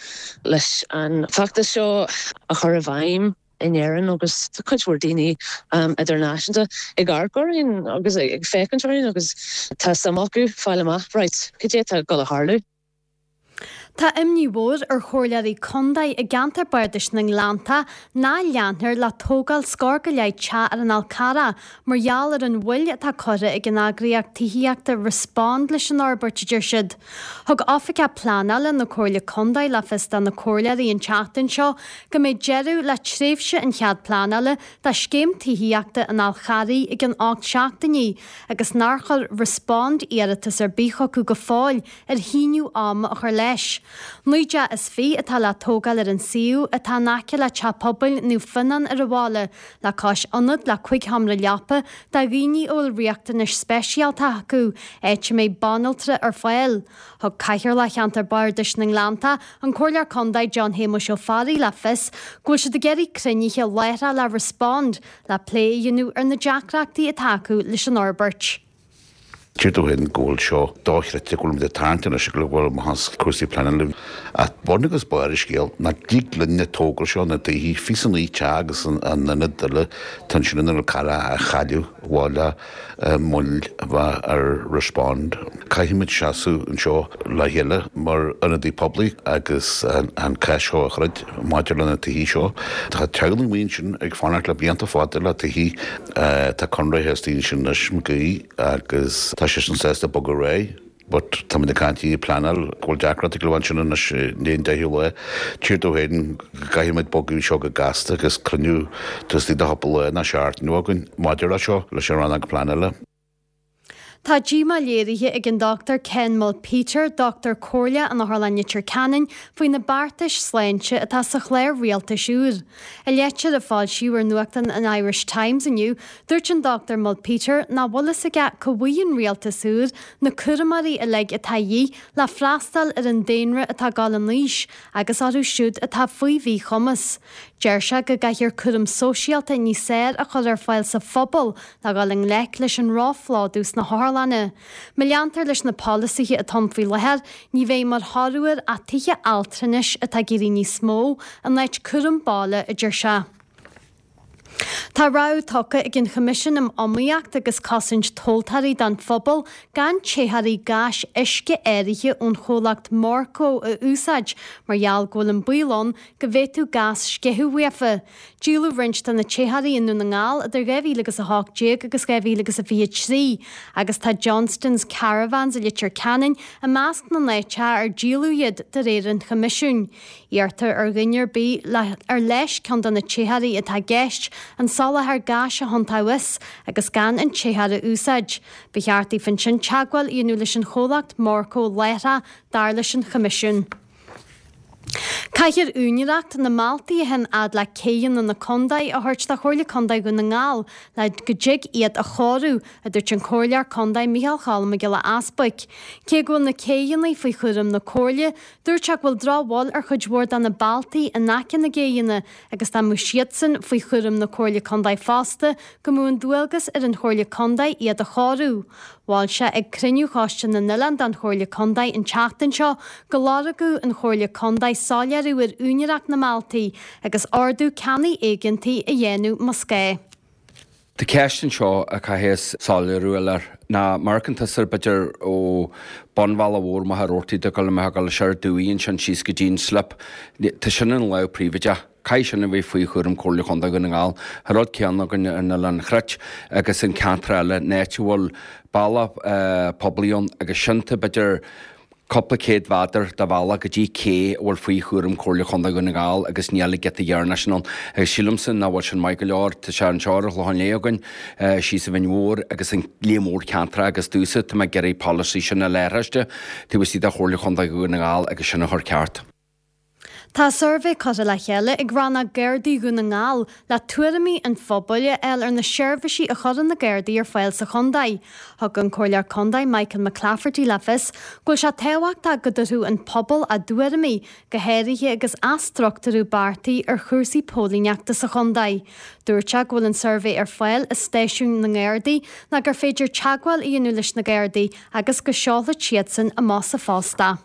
leis an feachtas seo a chur i bhfeidhm in Éirinn agus tá cuid mhór daoine idirnáisiúnta ag amharc orainn agus ag féachaint orainn agus tá suim acu fáil amach, right, cad é atá ag dul a tharlú. Tá imní mhór ar chomhairleoirí contae i gceantar Bardais na nGleanntach nach leanfar le tógáil scór go leith teach ar an Fhál Carrach mar gheall ar an mhoill atá curtha ag an eagraíocht tithíochta Respond leis an fhorbairt, a deir siad. Thug Oifigeach Pleanála na Comhairle Contae le fios do na comhairleoirí an tseachtain seo go mbeidh deireadh le tréimhse an chead pleanála do scéim tithíochta an Fháil Charraigh i gcionn 8 seachtainí agus nár chuir Respond iarratas ar bith chucu go fóill ar shíneadh ama a chur leis. 19 dteach atá le tógáil ar an suíomh, atá in aice le Teach Pobail Naomh Fionnán ar an bhaile, le cois ionad le 5 sheomra leapa do dhaoine a bhfuil riachtanais speisialta acu, áit a mbeidh banaltra ar fáil. Thug Cathaoirleach Cheantar Bardais na nGleanntach, an Comhairleoir Contae John Shéamuis Ó Fearraigh le fios go bhfuil siad ag iarraidh cruinnithe láithreach le Respond le plé a dhéanamh ar na deacrachtaí atá acu leis an fhorbairt. Deir tú féin go bhfuil seo dochreidte, go bhfuil muid ag tarraingt anois go bhfuil amach as cúrsaí pleanála. Ach bun agus barr an scéil, nach dtig linn na tógáil seo, na tithe, 29 teach agus an ionad eile atá ansin in Fhál Carrach a chailleadh mhaith le moill a bheith ar Respond. Caithfimid seasamh anseo le chéile mar ionadaí poiblí agus an cás seo a throid maidir le na tithe seo. Tá teaghlaigh amuigh ansin ag fanacht le blianta fada le tithe. Tá conraithe istigh ansin anois McGee agus tá seisean sásta bogadh ar aghaidh but táimid ag caint ag pleanáil go bhfuil deacracht ag gabháil ansin anois i ndiaidh an deichiú lá. Tír dó féin go gcaithfimid bogadh seo go gasta agus cruinniú taobh istigh de chúpla lá nó seachtain againn maidir le seo leis an rannóg pleanála. Tá díomá léirithe ag an Dr Ken Mulpeter, Dochtúir Comhairleach in Otharlann Leitir Ceanainn, faoi na beartais sláinte atá sa chlár rialtais úr. I leitir a foilsíodh ar nuachtán an Irish Times inniu, dúirt an Dr Mulpeter nach bhfuil fhios aige cá bhfaighidh an rialtas úr na cúramóirí uilig atá a dhíth le freastal ar an daonra atá ag dul in aois agus orthu siúd atá faoi mhíchumas. Deir sé go gcaithfear cúram sóisialta níos fearr a chur ar fáil sa phobal le dhul i ngleic leis an róphlódú sna hotharlanna. Má leantar leis na polasaithe atá ann faoi láthair, ní bheidh mar thoradh air ach tithe altranais atá ag éirí níos mó in áit cúram baile, a deir sé. Tá rabhadh tugtha ag an Choimisiún um Iomaíocht agus Cosaint Tomhaltóirí don phobal gan téitheoirí gáis uisce áirithe ón chomhlacht Morco a úsáid mar gheall go bhfuil an baol ann go bhféadfadh gás sceitheadh uafa. Díoladh roinnt de na téitheoirí i nDún na nGall idir 2018 agus 2023 agus tá Johnston's Caravans i Leitir Ceanainn i measc na n-áiteacha ar díoladh iad de réir an Choimisiúin. Iarrtar ar dhuine ar bith ar leis ceann de na téitheoirí atá i gceist an soláthar gáis a thiontaoibh as agus gan an téitheoir a úsáid. Ba cheart daofa ansin teagmháil a dhéanamh leis an chomhlacht Morco láithreach dar leis an Choimisiún. Caithfear úinéireacht na mbealtaí a théann fhad le céidheanna na contae a thabhairt do Chomhairle Contae Dhún na nGall le go dtig iad a chóiriú, a dúirt an Comhairleoir Contae Micheál Cholm Mac Giolla Easbuic. Cé go bhfuil na céidheanna faoi chúram na Comhairle, dúirt sé go bhfuil drochbhail ar chuid mhór de na bealtaí in aice na gcéidheanna agus dá mbeadh siadsan faoi chúram na Comhairle Contae fosta, go mbeadh an dualgas ar an Chomhairle Contae iad a chóiriú. Mhol sé ag cruinniú Choiste na nOileán den Chomhairle Contae an tseachtain seo go lorgódh an Chomhairle Contae soiléiriú ar úinéireacht na mbealtaí agus ordú ceannaigh éigeantaigh a dhéanamh más gá. Tá ceist anseo a chaithfeas soiléiriú a fháil air. Ná mar a fheiceann tusa b'fhéidir ó bun Bhealach Mhór Machaire Rabhartaigh ag dul amach ag dul soir Dumhaigh ansin síos go dtí an slip. Tá sin in lámh príobháideach. Caithfidh sin a bheith faoi chúram Comhairle Chontae Dhún na nGall. An rud céanna againn ar an Oileán Chruit agus an ceantar eile, an áit a bhfuil bealach poiblí ann agus sin tá b'fhéidir. Cúpla céad mheadar de bhealach go dtí cé a bhfuil faoi chúram Chomhairle Chontae Dhún na nGall agus níl an giota dheireanach sin ann. Agus sílimse nach bhfuil sin maith go leor. Tá sé anseo ar an Chlochán Liath againn, síos sa Bhinn Mhór agus an líon mór ceantracha agus domhsa tá mé ag iarraidh polasaí sin an leathchoiste taobh istigh de Chomhairle Chontae Dhún na nGall agus sin a chur ceart. Tá suirbhé curtha le chéile ag Rannóg Gardaí Dhún na nGall le tuairimí an phobail a fháil ar na seirbhísí a chuireann na Gardaí ar fáil sa chontae. Thug an Comhairleoir Contae Michael McClafferty le fios go bhfuil sé tábhachtach go dtabharfadh an pobal a dtuairimí, go háirithe agus athstruchtúrú beartaithe ar chúrsaí póilíneachta sa chontae. Dúirt sé go bhfuil an suirbhé ar fáil i stáisiúin na nGardaí nó gur féidir teagmháil a dhéanamh leis na Gardaí agus go seolfaidh siadsan amach sa phost é.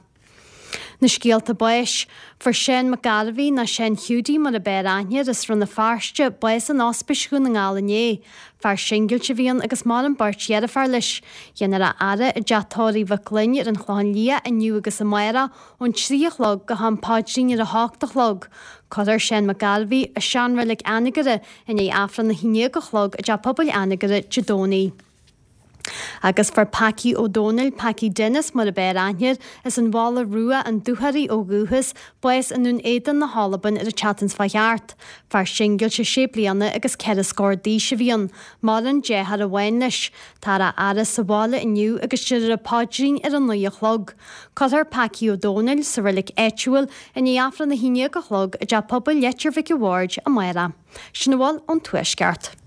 Na scéalta báis. Fuair Seán Mac Gairbhí, nó Seán Hiúdaí mar a b'fhearr aithne air, as Rann na Feirste, bás in Ospís Dhún na nGall inné. Fear singilte a bhí ann agus maireann beirt dheirféar leis. Déanfar a fhaire i dteach tórraimh Mhic Fhloinn ar an Chlochán Liath inniu agus amárach ón 3 a chlog go ham paidrín ar a hocht a chlog. Cuirfear Seán Mac Gairbhí i seanreilig Anagaire i ndiaidh Aifreann a 11 a chlog i dTeach Pobail Anagaire Dé Domhnaigh. Agus fuair Packie Ó Dónaill, Packie Dennis mar a b'fhearr aithne air, as an Mhála Rua, an Dúchoraidh ó dhúchas, bás i nDún Éideann na hAlban ar an tseachtain seo thart. Fear singilte sé bliana agus ceithre scór d'aois a bhí ann. Maireann deartháir amháin leis. Táthar á fhaire sa bhaile inniu agus déarfar an paidrín ar a naoi a chlog. Cuirfear Packie Ó Dónaill sa reilig áitiúil i ndiaidh Aifreann a haon déag a chlog i dTeach Pobail Leitir Mhic a' Bhaird amárach. Sin a bhfuil ón Tuaisceart.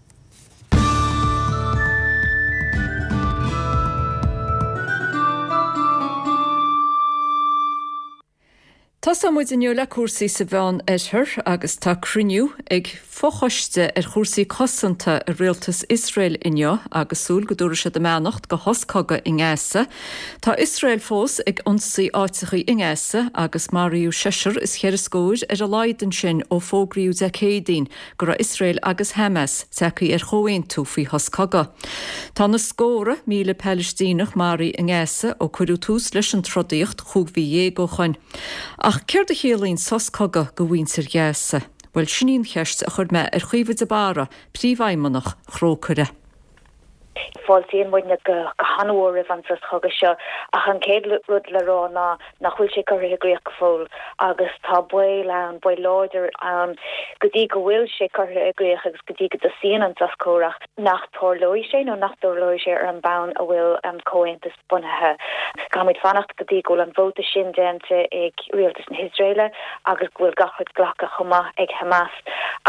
Tosóidh muid inniu le cúrsaí sa Mheán Oirthear agus tá cruinniú ag fochoiste ar chúrsaí cosanta i rialtas Iosrael inniu agus súil go dtabharfaidh siad a mbeannacht do shos cogaidh i nGaza. Tá Iosrael fós ag ionsaí áiteachaí i nGaza agus maraíodh seisear is cheithre scóir ar a laghad ansin ó fógraíodh Dé Céadaoin go raibh Iosrael agus Hamas tagtha ar chomhaontú faoi shos cogaidh. Tá na scórtha míle Palaistíneach maraithe i nGaza ó cuireadh tús leis an trodaíocht chúig mhí dhéag ó shoin. Ach céard a chiallaíonn sos cogaidh do mhuintir Ghaza? Bhuel, sin í an cheist a chuir mé ar Chaoimhe de Barra, Príomhfheidhmeannach Thrócaire. Fáiltíonn muidne go han-mhór roimh an sos cogaidh seo ach an chéad rud le rá ná nach bhfuil sé curtha i gcrích go fóill agus tá baol ann, baol láidir ann go dtí go bhfuil sé curtha i gcrích agus go dtí go dtosaíonn an sos comhrac nach dtarlóidh sé nó nach dtarlóidh sé ar an mbonn a bhfuil an comhaontas bunaithe. Caithfimid fanacht go dtí go bhfuil an vóta sin déanta ag rialtas na hIosraeile agus go bhfuil gach rud glactha chomh maith ag Hamas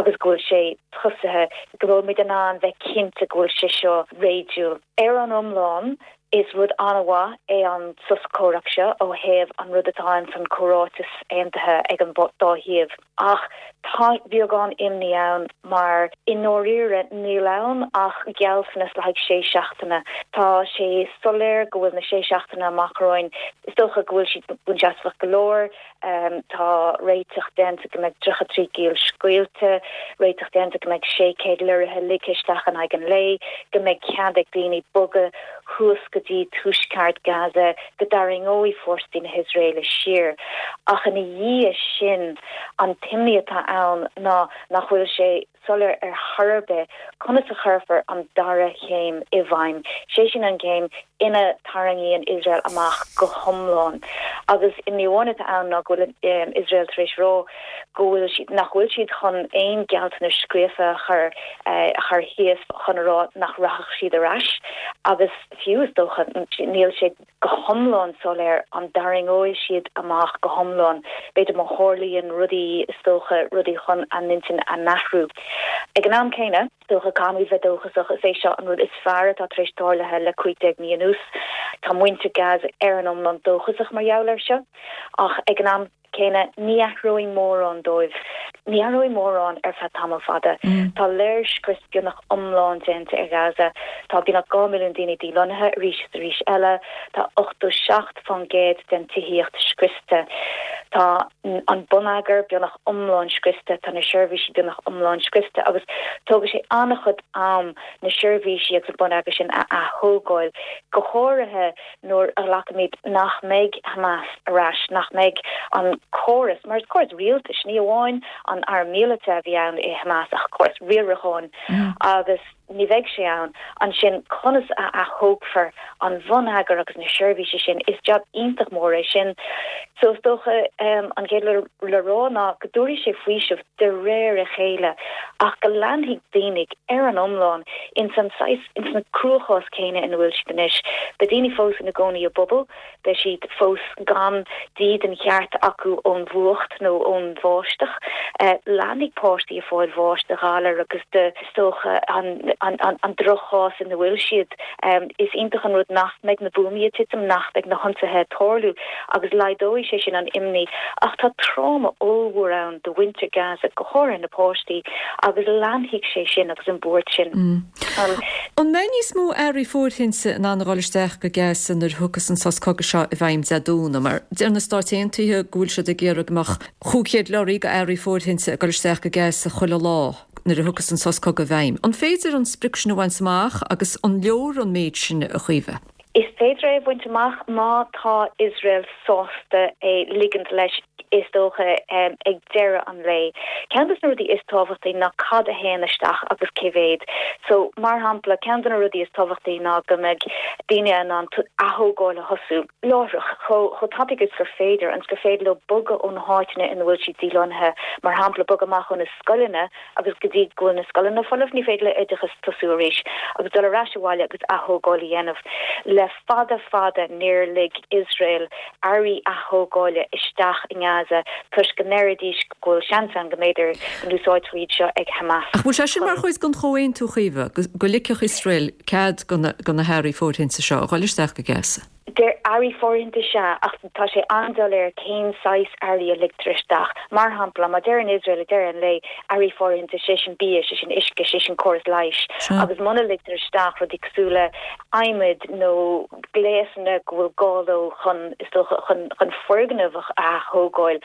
agus go bhfuil sé tosaithe, go bhfuil muid in ann bheith cinnte go bhfuil sé seo réadúil. Ar an iomlán, is rud an-mhaith é an sos comhrac seo ó thaobh an rud atá ins an chomhráiteas aontaithe ag an dá thaobh. Ach tá beagán imní ann mar i ndáiríre níl ann ach gealltanas le haghaidh sé seachtaine. Tá sé soiléir go bhfuil na sé seachtaine amach romhainn, is dócha go bhfuil siad buanseasmhach go leor, Tá réiteach déanta go mbeidh 33 giall scaoilte, réiteach déanta go mbeidh 600 lorraithe ligthe isteach in aghaidh an lae, go mbeidh cead ag daoine bogadh thuas go dtí tuaisceart Gaza, go dtarraingeoidh fórsaí na hIosraeile siar. Ach ina dhiaidh sin, an t-imní atá ann ná nach bhfuil sé soiléir ar chor ar bith conas a chuirfear an dara chéim i bhfeidhm, sé sin an chéim ina dtarraingíonn Iosrael amach go hiomlán. Agus imní amháin atá ann ná go bhfuil Iosrael tar éis rá go bhfuil siad, nach bhfuil siad chun aon gealltanais scríofa a chur a chur thíos chun a rá nach rachadh siad ar ais agus fiú is dócha níl sé go hiomlán soiléir an dtarraingeoidh siad amach go hiomlán. B'fhéidir má tharlaíonn rudaí, is dócha, rudaí chun a n-intinn a n-athrú. Ag an am céanna, is dócha, caithfimid bheith dóchasach, is é seo an rud is fearr atá tar éis tarlaithe le 15 mí anuas. Tá muintir Gaza ar an iomlán dóchasach mar gheall air seo, ach ag an am céanna, ní athróidh mórán dóibh. Ní athróidh mórán ar feadh tamall fada. Tá léirscrios beagnach iomlán déanta ar Ghaza. Tá beagnach 2 mhilliún daoine dílonnaithe arís is arís eile. Tá 87% den tithíocht scriosta. Tá an bonneagar beagnach iomlán scriosta. Tá na seirbhísí beagnach iomlán scriosta agus tógfaidh sé an-chuid am na seirbhísí agus an bonneagar sin a ath-thógáil, go háirithe nuair a ghlacaimid nach mbeidh Hamas ar ais, nach mbeidh an córas, mar is córas rialtais, ní amháin an arm míleata a bhí ann i Hamas ach córas riaracháin agus. Ní bheidh sé ann. Ansin, conas a athógfar an bhonneagar agus na seirbhísí sin? Is jab iontach mór é sin. So, is dócha, an chéad rud le rá ná go dtabharfaidh sé faoiseamh de réir a chéile ach go leanfaidh daoine ar an iomlán ins an saghas, ins na cruachás céanna ina bhfuil siad anois. Beidh daoine fós ina gcónaí i bpubaill. Beidh siad fós gan dídean cheart acu ón bhfuacht nó ón bháisteach. Leanfaidh páistí ag fáil bháis de ghalar agus de, is dócha, an droch-chás ina bhfuil siad. Is iontach an rud nach mbeidh na buamaí ag titim, nach mbeidh na hionsaithe ag tarlú agus laghdóidh sé sin an imní. Ach tá tráma ollmhór ann do mhuintir Gaza, go háirithe na páistí, agus leanfaidh sé sin agus an bhuairt sin. An mbeidh níos mó earraí fóirthinte in ann a dhul isteach go Gaza nuair a thiocfas an sos cogaidh seo i bhfeidhm Dé Domhnaigh? Mar deir na Stáit Aontaithe go bhfuil siad ag iarraidh go mbeadh 500 leoraí go earraí fóirthinte ag dul isteach go Gaza chuile lá nuair a thiocfas an sos cogaidh i bhfeidhm. An féidir an sprioc sin a bhaint amach agus an leor an méid sin, a Chaoimhe? Is féidir é a bhaint amach má tá Iosrael sásta é ligint leis, is dócha, ag deireadh an lae. Ceann de na rudaí is tábhachtaí ná cad a théann isteach agus cé mhéad. So, mar shampla, ceann de na rudaí is tábhachtaí ná go mbeidh daoine in ann athógáil a thosú láithreach, chomh tapaidh is gur féidir, ionas gur féidir leo bogadh ó na háiteanna ina bhfuil siad dílonnaithe, mar shampla, bogadh amach ó na scoileanna, agus go dtí go bhfuil na scoileanna folamh ní féidir le oideachas tosú arís agus dul ar ais abhaile agus athógáil a dhéanamh. Le fada fada níor lig Iosrael earraí athógáile isteach i nGaza toisc go ndeiridís go bhfuil seans ann go mb'fhéidir go n-úsáidfear iad seo ag Hamas Ach bhfuil sé sin mar chuid den chomhaontú, a Chaoimhe, go ligfeadh Iosrael cead do na hearraí fóirthinte seo a dhul isteach go Gaza? Deir earraí fóirithinte sea, ach tá sé an-doiléir cén saghas earraí a ligtear isteach. Mar shampla, má deireann Iosrael ag deireadh an lae, earraí fóirithinte, sé sin bia, sé sin uisce, sé sin córas leighis, agus muna ligtear isteach rudaí cosúil le adhmaid nó gléasanna go bhfuil gá leo chun, is dócha, chun, chun foirgneamh a ath-thógáil,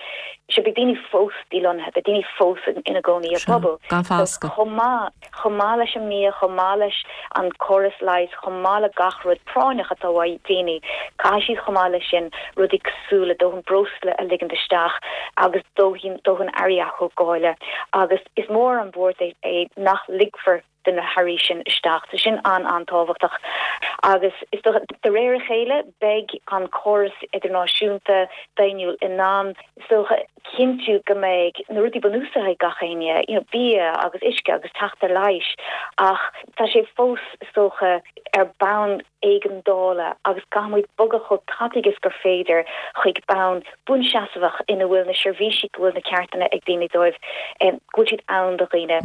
sea, beidh daoine fós dílonnaithe, beidh daoine fós ina gcónaí i bpubaill. Gan fascadh. Chomh maith. chomh maith leis an mbia, chomh maith leis an córas leighis, chomh maith le gach rud práinneach atá uaidh daoine, caithfidh siad chomh maith leis sin rudaí cosúil le dóthain breosla a ligint isteach agus dóthain dóthain earraí athógála agus is mór an bhuairt é nach ligfear do na hearraí sin isteach. Tá sin an-an-tábhachtach agus is dócha de réir a chéile beidh an córas idirnáisiúnta daonnúil in ann is dócha, cinntiú go mbeidh na rudaí bunúsacha ag gach éinne, you know, bia agus uisce agus teacht ar leighis, ach tá sé fós, is dócha, ar bonn éigeandála agus caithfidh muid bogadh chomh tapaidh is gur féidir chuig bonn buanseasmhach ina bhfuil na seirbhísí go bhfuil na ceartanna ag daoine dóibh, go bhfuil siad ann do dhaoine.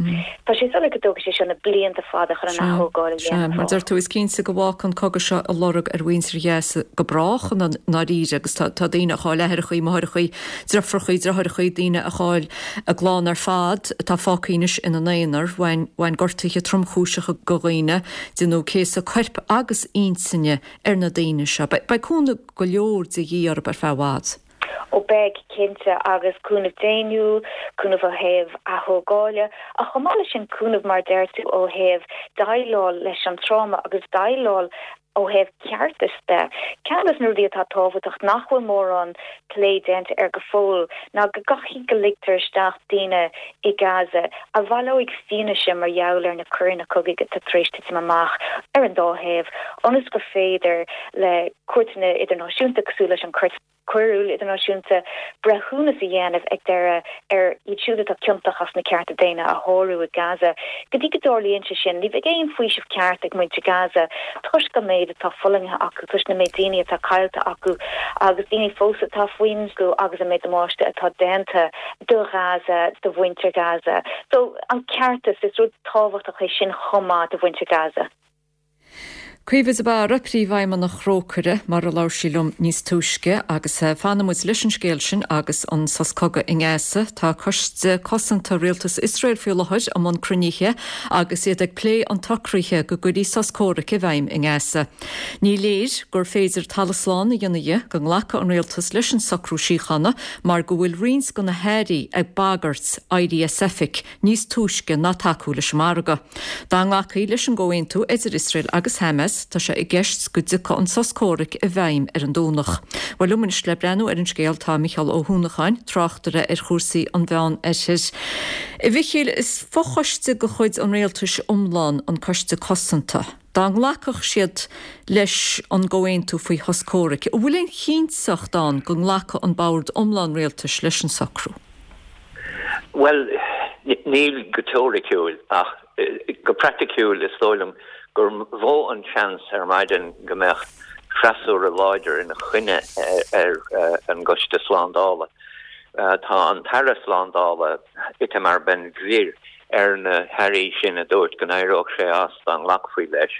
Tá sé soiléir go dtógfaidh sé seo na blianta fada chun an athógáil a dhéanamh. Sea, mar deir tú, is cinnte go bhfágfaidh an cogadh seo a lorg ar mhuintir Ghaza go brách i ndáiríre agus tá daoine a chaill aithreachaí, máithreachaí, deirfiúrachaí, deartháireachaí, daoine a chaill a gclann ar fad atá fágtha anois ina n-aonar. Bhain bhain gortuithe tromchúiseacha go dhaoine, déanadh céasadh coirp agus intinne ar na daoine seo. Beidh cúnamh go leor de dhíth orthu ar feadh i bhfad. Ó beidh, cinnte, agus cúnamh daonnúil, cúnamh ó thaobh athógáile, ach chomh maith leis sin cúnamh mar a deir tú ó thaobh déileáil leis an tráma agus déileáil ó thaobh ceartais de. Ceann de na rudaí atá tábhachtach nach bhfuil mórán plé déanta air go fóill ná go gcaithfidh go ligtear isteach daoine i Gaza a bhaileoidh fianaise mar gheall ar na coireanna cogaidh atá tar éis titim amach ar an dá thaobh ionas gur féidir le cúirteanna idirnáisiúnta cosúil leis an Chúirt Choiriúil Idirnáisiúnta breithiúnas a dhéanamh ag deireadh ar iad siúd atá ciontach as na cearta daonna a shárú i Gaza. Go dtí go dtarlaíonn sé sin, ní bheidh aon faoiseamh ceart ag muintir Gaza toisc an méid atá fulaingthe acu, toisc na méid daoine atá caillte acu agus daoine fós atá faoin agus an méid damáiste atá déanta do Ghaza, do mhuintir Gaza. So, an ceartas, is rud tábhachtach é sin chomh maith do mhuintir Gaza. Caoimhe de Barra, Príomhfheidhmeannach Thrócaire, mar a labhair sí liom níos túisce, agus fanfaidh muid leis an scéal sin agus an sos cogaidh i nGaza. Tá Coiste Cosanta Rialtas Iosrael faoi láthair i mbun cruinnithe agus iad ag plé an tsocraithe go gcuirfí sos comhraic i bhfeidhm i nGaza. Ní léir gur féidir talamh slán a dhéanamh dhe go nglacfaidh an rialtas leis an socrú síochána mar go bhfuil roinnt de na hairí ag bagairt éirí as oifig níos túisce ná tacú leis an margadh. Dá nglacfaí leis an gcomhaontú idir Iosrael agus Hamas. Hamas, tá sé i gceist go dtiocfadh an sos comhraic i bhfeidhm ar an Domhnach. Bhuel, liom anois le breathnú ar an scéal tá Micheál Ó hUanacháin, tráchtaire ar chúrsaí an Mheán Oirthir. A Mhichíl, is fochoiste de chuid an rialtais iomlán an Coiste Cosanta. Dá nglacfadh siad leis an gcomhaontú faoi shos comhraic, an bhfuil aon chinnteacht ann go nglacfadh an bord iomlán rialtais leis an socrú? Bhuel, níl go teoiriciúil, ach go praiticiúil is dóigh liom gur mhó an seans ar maidin go mbeadh freasúra láidir ina choinne ar an gCoiste Slándála. Tá an tAire Slándála, Itamar Ben-Gvir, ar na hairí sin a dúirt go n-éireodh sé as dá nglacfaí leis.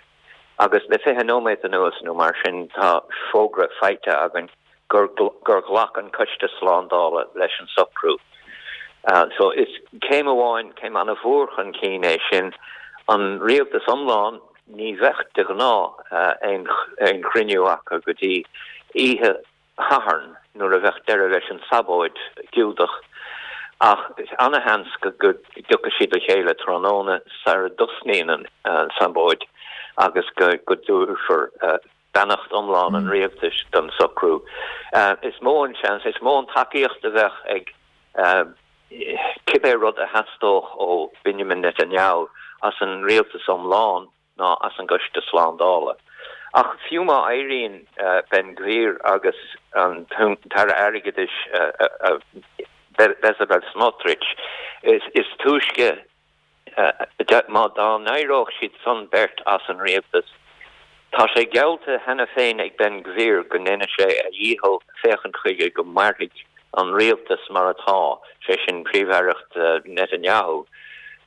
Agus le 20 nóiméad anuas nó mar sin tá fógra faighte againn gur gur ghlac an Coiste Slándála leis an socrú. So is céim amháin, céim an-mhór chun cinn é sin. An rialtas iomlán, ní bheadh de ghnáth aon chruinniú acu go dtí oíche Shathairn nuair a bheadh deireadh leis an sabóid Giúdach. Ach is ana-sheans go dtiocfaidh siad le chéile tráthnóna sara dtosnaíonn an tsabóid agus go dtabharfar beannacht iomlán an rialtais don socrú. Is mó an seans, is mó an tacaíocht a bheadh ag cibé rud a theastódh ó Benjamin Netanyahu as an rialtas iomlán ná as an gCoiste Slándála. Ach fiú má éiríonn Ben Gvir agus an tAire Airgeadais Bezalel Smotrich, is túisce Má dá n-éireodh siad san beirt as an rialtas, tá sé geallta cheana féin ag Ben Gvir go ndéanfaidh sé a dhícheall féachaint chuige go mairfidh an rialtas mar atá, sé sin príomh-aireacht Netanyahu,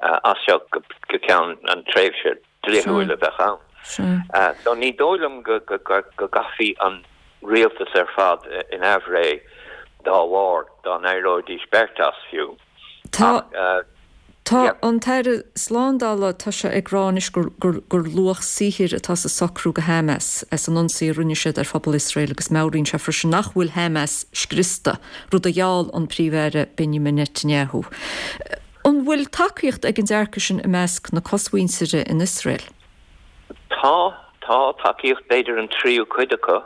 as seo go ceann an tréimhse dlíthiúil a bheadh ann. So ní dóigh liom go gcaithfí an rialtas ar fad in aimhréidh dá bharr, dá n-éireoidís beirt as fiú. Tá Tá an tAire Slándála, tá sé ag rá anois gur gur luach saothair atá sa socrú go Hamas as an ionsaí a rinne siad ar phobal Iosrael agus meabhraíonn sé freisin nach bhfuil Hamas scriosta, rud a gheall an Príomh-Aire Benjamin Netanyahu. An bhfuil tacaíocht ag an dearcadh sin i measc na cosmhuintire in Iosrael? Tá, tá tacaíocht, b'fhéidir an tríú cuid acu.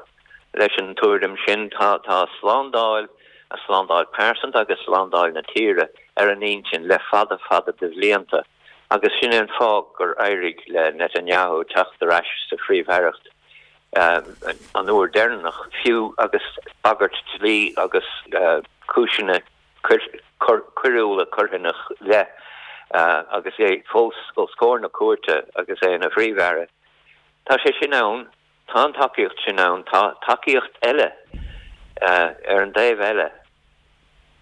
Leis an tuairim sin, tá tá slándáil, a slándáil pearsanta agus slándáil na tíre, ar an intinn le fada fada de bhlianta agus sin é an fáth gur éirigh le Netanyahu teacht ar ais sa phríomh-aireacht an uair deireanach, fiú agus bagairt dlí agus cúiseanna coiriúla curtha ina leith agus é fós os comhair na cúirte agus é ina phríomh-aire. Tá sé sin ann. Tá an tacaíocht sin ann. Tá tacaíocht eile ar an dtaobh eile.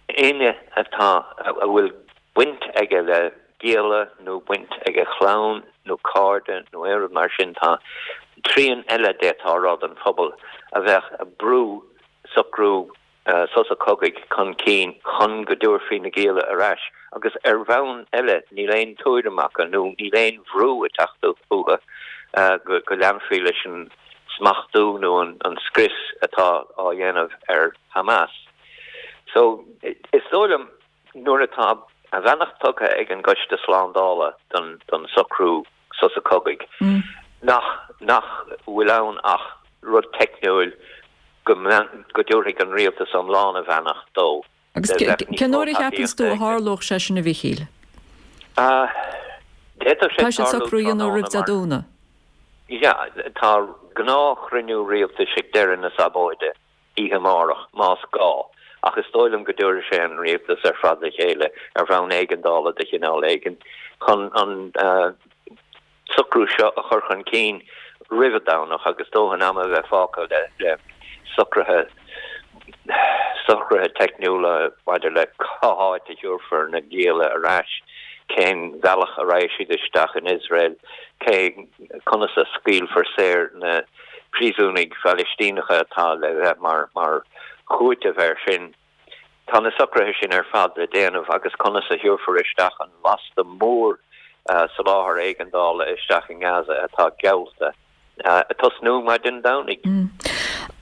Éinne atá, a bhfuil baint aige le gialla nó baint ag a chlann nó cairde nó aon rud mar sin, tá trian eile d'fhéadfá a rá den phobal a bheadh ag brú socrú sosa cogaidh chun cinn chun go dtabharfaí na gialla ar ais agus ar bhonn eile níl aon tuairim acu nó níl aon bhrú ag teacht uathu go leanfaí leis an smachtú nó an scrios atá á dhéanamh ar Hamas. So is dóigh liom Nuair atá a bheannacht tugtha ag an gCoiste Slándála don socrú sosa cogaidh, nach nach bhfuil ann ach rud teicniúil go go dtabharfaidh an rialtas iomlán a bheannacht dó. Agus cén uair a cheapanns tú a tharlódh sé sin a Mhichíl? D'fhéadfadh sé Tá siad socrú a dhéanamh roimh Dé Domhnaigh. Yeah, tá gnáthchruinniú rialtais ag deireadh na sabóide. oíche amárach, más gá, ach is dóigh liom go dtabharfaidh sé an rialtas ar fad le chéile ar bhonn éigeandála de chineál éigin chun an socrú seo a chur chun cinn roimh an Domhnach agus dóthain ama a bheith fágtha le socruithe socruithe teicniúla maidir le cá háit a thabharfar na gialla ar ais, cén bhealach a raghaidh siad isteach in Iosrael, cé conas a scaoilfear saor na príosúnaigh Phalaistíneacha atá le bheith mar mar chúiteamh air sin. Tá na socruithe sin ar fad le déanamh agus conas a thabharfar isteach an lasta mór soláthar éigeandála isteach i nGaza atá geallta ag tosnú maidin Domhnaigh.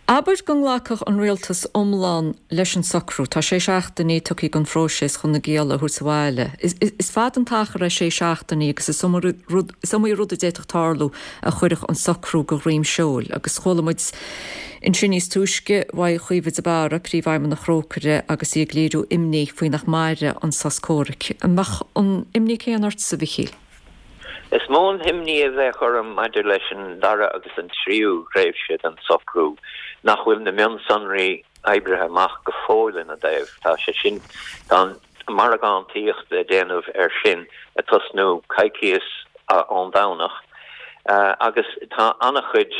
Abair go nglacfadh an rialtas iomlán leis an socrú, tá sé seachtainí tugtha don phróiseas chun na gialla a thabhairt abhaile. Is fada an t-achar é sé seachtainí agus is iomaí rud a d'fhéadfadh tarlú a chuirfeadh an socrú de dhroim seoil. Agus chuala muid ansin níos túisce uaidh Chaoimhe de Barra, Príomhfheidhmeannach Thrócaire agus í ag léiriú imní faoi nach mairfidh an sos comhraic. An mbeadh an imní céanna ortsa, a Mhichíl? Is mó an imní a bheadh orm maidir leis an dara agus an tríú thréimhse den socrú nach bhfuil na mionsonraí oibrithe amach go fóill ina dtaobh. Tá sé sin, tá an mhargántaíocht le déanamh air sin ag tosnú coicíos ón Domhnach agus tá an-chuid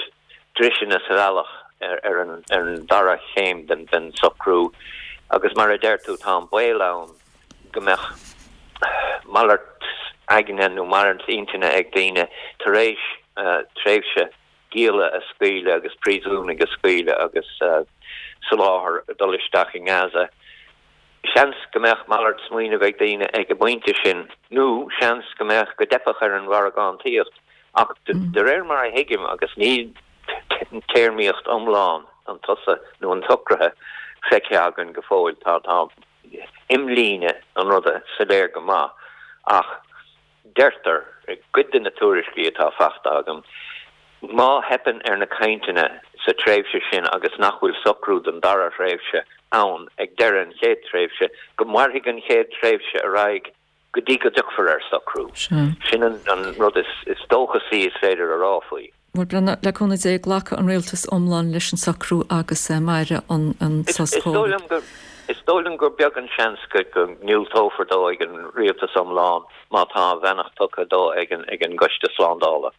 driseanna sa bhealach ar an dara chéim den socrú agus mar a deir tú tá an baol ann go mbeadh malairt aigne nó malairt intinne ag daoine tar éis tréimhse gialla a scaoileadh agus príosúnaigh a scaoileadh agus soláthar ag dul isteach i nGaza. Seans go mbeadh malairt smaoinimh ag daoine ag an bpointe sin nó seans go mbeadh, go dteipfeadh ar an mhargántaíocht ach de réir mar a thuigim agus níl téarmaíocht iomlán an tsosa nó an tsocraithe feicthe againn go fóill, tá, tá. imlíne an ruda soiléir go maith ach deirtear i gcuid de na tuairiscí atá faighte agam, má theipeann ar na cainteanna sa tréimhse sin agus nach bhfuil socrú don dara thréimhse ann ag deireadh an chéad tréimhse, go mairfidh an chéad tréimhse ar aghaidh go dtí go dtiocfar ar socrú. Sin an rud is dóchasaí is féidir a rá faoi. Bhuel, le cúnamh Dé, glacfaidh an rialtas iomlán leis an socrú agus mairfidh an sos comhraic. Is dóigh liom gur beag an seans go ndiúltófar dó ag an rialtas iomlán má tá a bheannacht tugtha dó ag an gCoiste Slándála.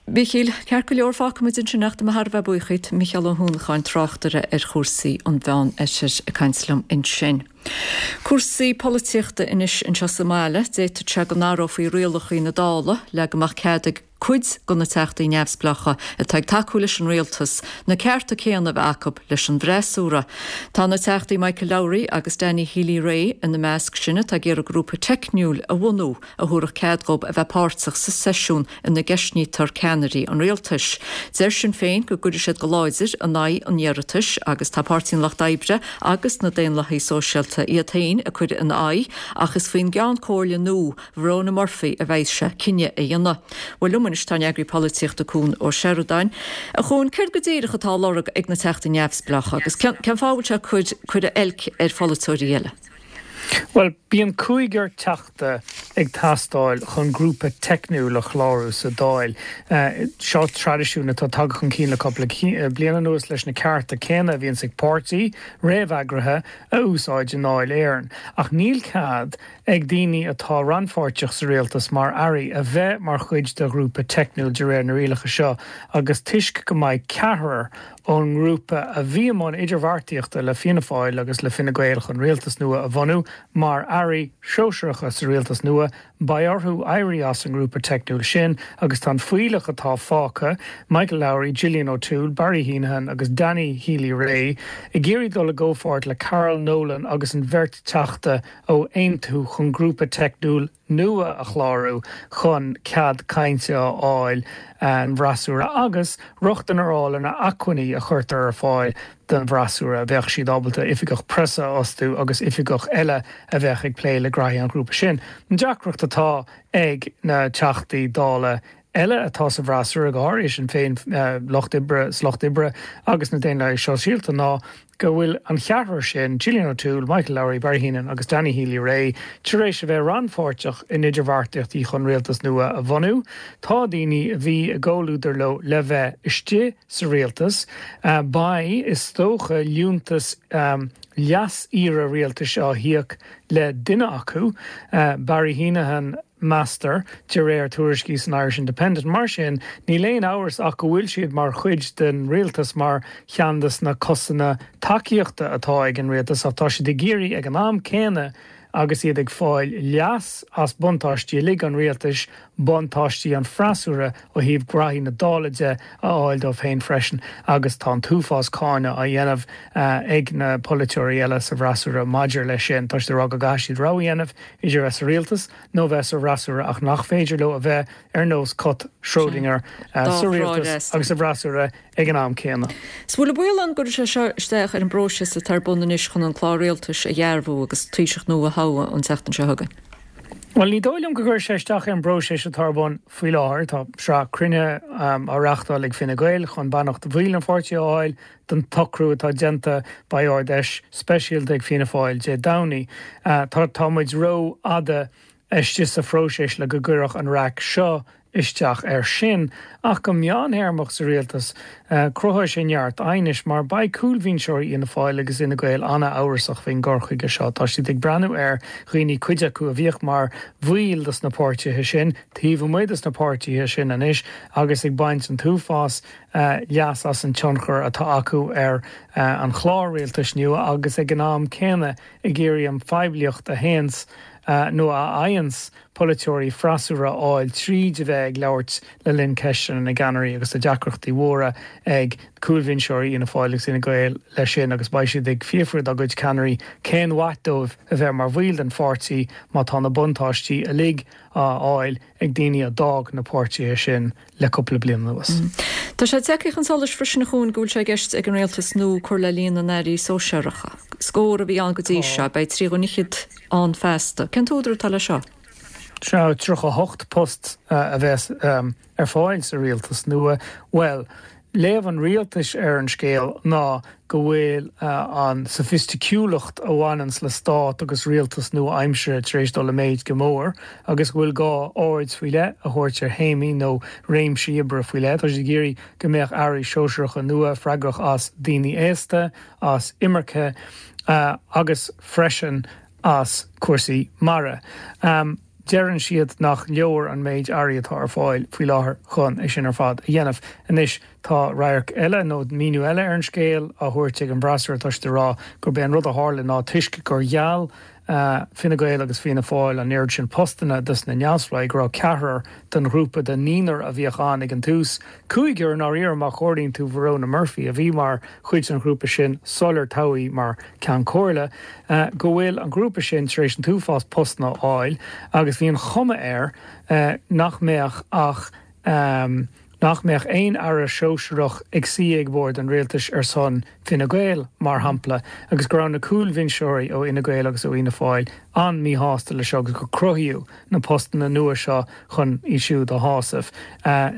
Mhichíl, ceart go leor, fágfaimid ansin é ach tá mé thar a bheith buíoch díot, Micheál Ó hUanacháin, tráchtaire ar chúrsaí an Mheán-Oirthir ag caint liom ansin. Cúrsaí polaitíochta anois anseo sa mbaile, d'fhéadfadh sé go n-athrófaí rialacha na Dála le go mbeadh cead ag cuid de na Teachtaí neamhspleácha atá ag tacú leis an rialtas na cearta céanna a bheith acu leis an bhfreasúra. Tá na Teachtaí Michael Lowry agus Danny Healy-Rae ina measc sin atá ag iarraidh grúpa teicniúil a bhunú a thabharfadh cead dhóibh a bheith páirteach sa seisiún ina gceistnítear ceannairí an rialtais. Deir Sinn Féin go gcuirfidh siad go láidir in aghaidh an iarratais agus tá Páirtí an Lucht Oibre agus na Daonlathaigh Sóisialta iad féin ag cur ina aghaidh ach is faoin gCeann Comhairle nua Verona Murphy a bheidh sé cinneadh a dhéanamh. Bhuel liom anois tá an eagraí polaitíochta Cuan Ó Seireadáin. A Chuain, céard go díreach atá á lorg ag na Teachtaí Neamhspleácha agus cén fáth a bhfuil sé ag cur cur oilc ar pholaiteoirí eile? Bhuel, bíonn cúigear Teachta ag teastáil chun grúpa teicniúil a chlárú sa Dáil. Seo traidisiún atá tagtha chun cinn le cúpla bliain anuas leis na cearta céanna a bhíonns ag páirtí réamheagraithe a úsáid i nDáil Éireann. Ach níl cead ag daoine atá rannpháirteach sa rialtas mar airí a bheith mar chuid de ghrúpa teicniúil de réir na rialacha seo agus toisc go mbeidh ceathrar ón ngrúpa a bhí i mbun idirbheartaíochta le Fianna Fáil agus le Fine Gael chun rialtas nua a bhunú mar airí sóisearacha sa rialtas nua beidh orthu éirí as an ngrúpa teicniúil sin agus tá an fuílleach atá fágtha, Michael Lowry, Gillian O'Toole, Barry Heneghan agus Danny Healy-Rae, ag iarraidh dul i gcomhpháirt le Carol Nolan agus an bheirt Teachta ó Aontú chun grúpa teicniúil nua a chlárú chun cead cainte a fháil an bhfreasúra agus rochtain a fháil ar na acmhainní a chuirtear ar fáil don bhfreasúra. Bheadh siad ábalta oifigeach preasa a fhostú agus oifigeach eile a bheadh ag plé le graithí an ghrúpa sin. An deacracht atá ag na Teachtaí Dála eile atá sa bhfreasúra, go háirithe Sinn Féin, Lucht Oibre, sa Lucht Oibre agus na Daonlathaigh Sóisialta ná go bhfuil an cheathrar sin, Gillian O'Toole, Michael Lowry, Barry Heneghan agus Danny Healy-Rae, tar éis a bheith rannpháirteach in idirbheartaíochtaí chun rialtas nua a bhunú. Tá daoine a bhí i gcomhluadar leo le bheith istigh sa rialtas. Beidh, is dócha, liúntas leas-aoire rialtais á híoc le duine acu, Barry Heneghan, meastar, de réir tuairiscí san Irish Independent. Mar sin, níl aon amhras ach go bhfuil siad mar chuid den rialtas mar cheann de na cosanna tacaíochta atá ag an rialtas ach tá siad ag iarraidh ag an am céanna agus iad ag fáil leas as buntáistí uilig an rialtais. buntáistí an freasúra ó thaobh graithí na Dála de a fháil dóibh féin freisin agus tá an t-uafás cáineadh á dhéanamh ag na polaiteoirí eile sa bhfreasúra maidir leis sin. Tá siad ag rá go gcaithfidh siad rogha a dhéanamh idir a bheith sa rialtas nó a bheith sa bhfreasúra ach nach féidir leo a bheith ar nós cat Schrödinger sa rialtas agus sa bhfreasúra ag an am céanna. Is bhfuil an baol ann go gcuirfidh sé seo isteach ar an bpróiseas atá ar bun anois chun an clár rialtais a dhearbhú agus Taoiseach nua a thoghadh an tseachtain seo chugainn? Bhuel, ní dóigh liom go gcuirfidh sé isteach ar an bpróiseas atá ar bun faoi láthair. Tá sraith cruinnithe á reáchtáil ag Fine Gael chun beannacht bhaill an pháirtí a fháil don tsocrú atá déanta. Beidh Ard-Fheis speisialta ag Fianna Fáil Dé Domhnaigh. Tá tá muid rófhada istigh sa phróiseas le go gcuirfeadh an raic seo isteach air sin, ach go meánthéarmach sa rialtas, cruthóidh sé neart aighnis mar beidh cúlbhinseoirí Fhianna Fáil agus Fhine Gael an-amhrasach faoin gcur chuige seo. Tá siad ag breathnú ar dhaoine, cuid acu a bhíodh mar bhaill dos na páirtithe sin, taobh amuigh dos na páirtithe sin anois agus ag baint an t-uafás leas as an tionchar atá acu ar an chlár rialtais nua agus ag an am céanna ag iarraidh an phoiblíocht a théanns nó a fhaigheanns polaiteoirí freasúra a fháil tríd a bheith ag labhairt le linn ceisteanna na gceannairí agus tá deacrachtaí mhóra ag cúlbhinseoirí Fhianna Fáil agus Fhine Gael leis sin agus beidh siad ag fiafraí dá gcuid ceannairí cén mhaith dóibh a bheith mar bhaill den pháirtí má tá na buntáistí uilig á fháil ag daoine a d'fhág na páirtithe sin le cúpla bliain anuas. Tá sé tagtha chun solais freisin a Chuain go bhfuil sé i gceist ag an rialtas nua cur le líon na n-airí sóisearacha. Scór a bhí ann go dtí seo, beidh 30 fhichead ann feasta. Cén t-údar atá leis seo? Sea, 38 post a bheas ar fáil sa rialtas nua. Bhuel, léamh an rialtais ar an scéal ná go bhfuil an soifisticiúlacht a bhaineanns le stát agus rialtas nua-aimseartha tar éis dul i méid go mór agus go bhfuil gá aird faoi leith a thabhairt ar théamaí nó réimsí oibre faoi leith. Tá siad ag iarraidh go mbeadh airí sóisearacha nua freagrach as daoine aosta, as imirce agus freisin as cúrsaí mara. Deireann siad nach leor an méid airí atá ar fáil faoi láthair chun é sin ar fad a dhéanamh. Anois tá radharc eile, nó míniú eile ar an scéal á thabhairt ag an bhfreasúra, tá siad ag rá gurb é an rud a tharla ná toisc gur gheall Fine Gael agus Fianna Fáil an oiread sin postanna dos na neamhspleáigh go raibh ceathrar den ghrúpa de naonúr a bhíodh ann ag an tús, cúigear i ndáiríre má chomhairíonn tú Verona Murphy a bhí mar chuid den ghrúpa sin sular toghadh í mar Ceann Comhairle, go bhfuil an grúpa sin tar éis an t-uafás postanna a fháil agus bhí an chuma air nach mbeadh ach nach mbeadh aon aire sóisearach ag suí ag bord an rialtais ar son Fine Gael, mar shampla, agus go raibh na cúlbhinseoirí ó Fhine Gael agus ó Fhianna Fáil an-míshásta leis seo agus gur cruthaíodh na postanna nua seo chun iad siúd a shásamh.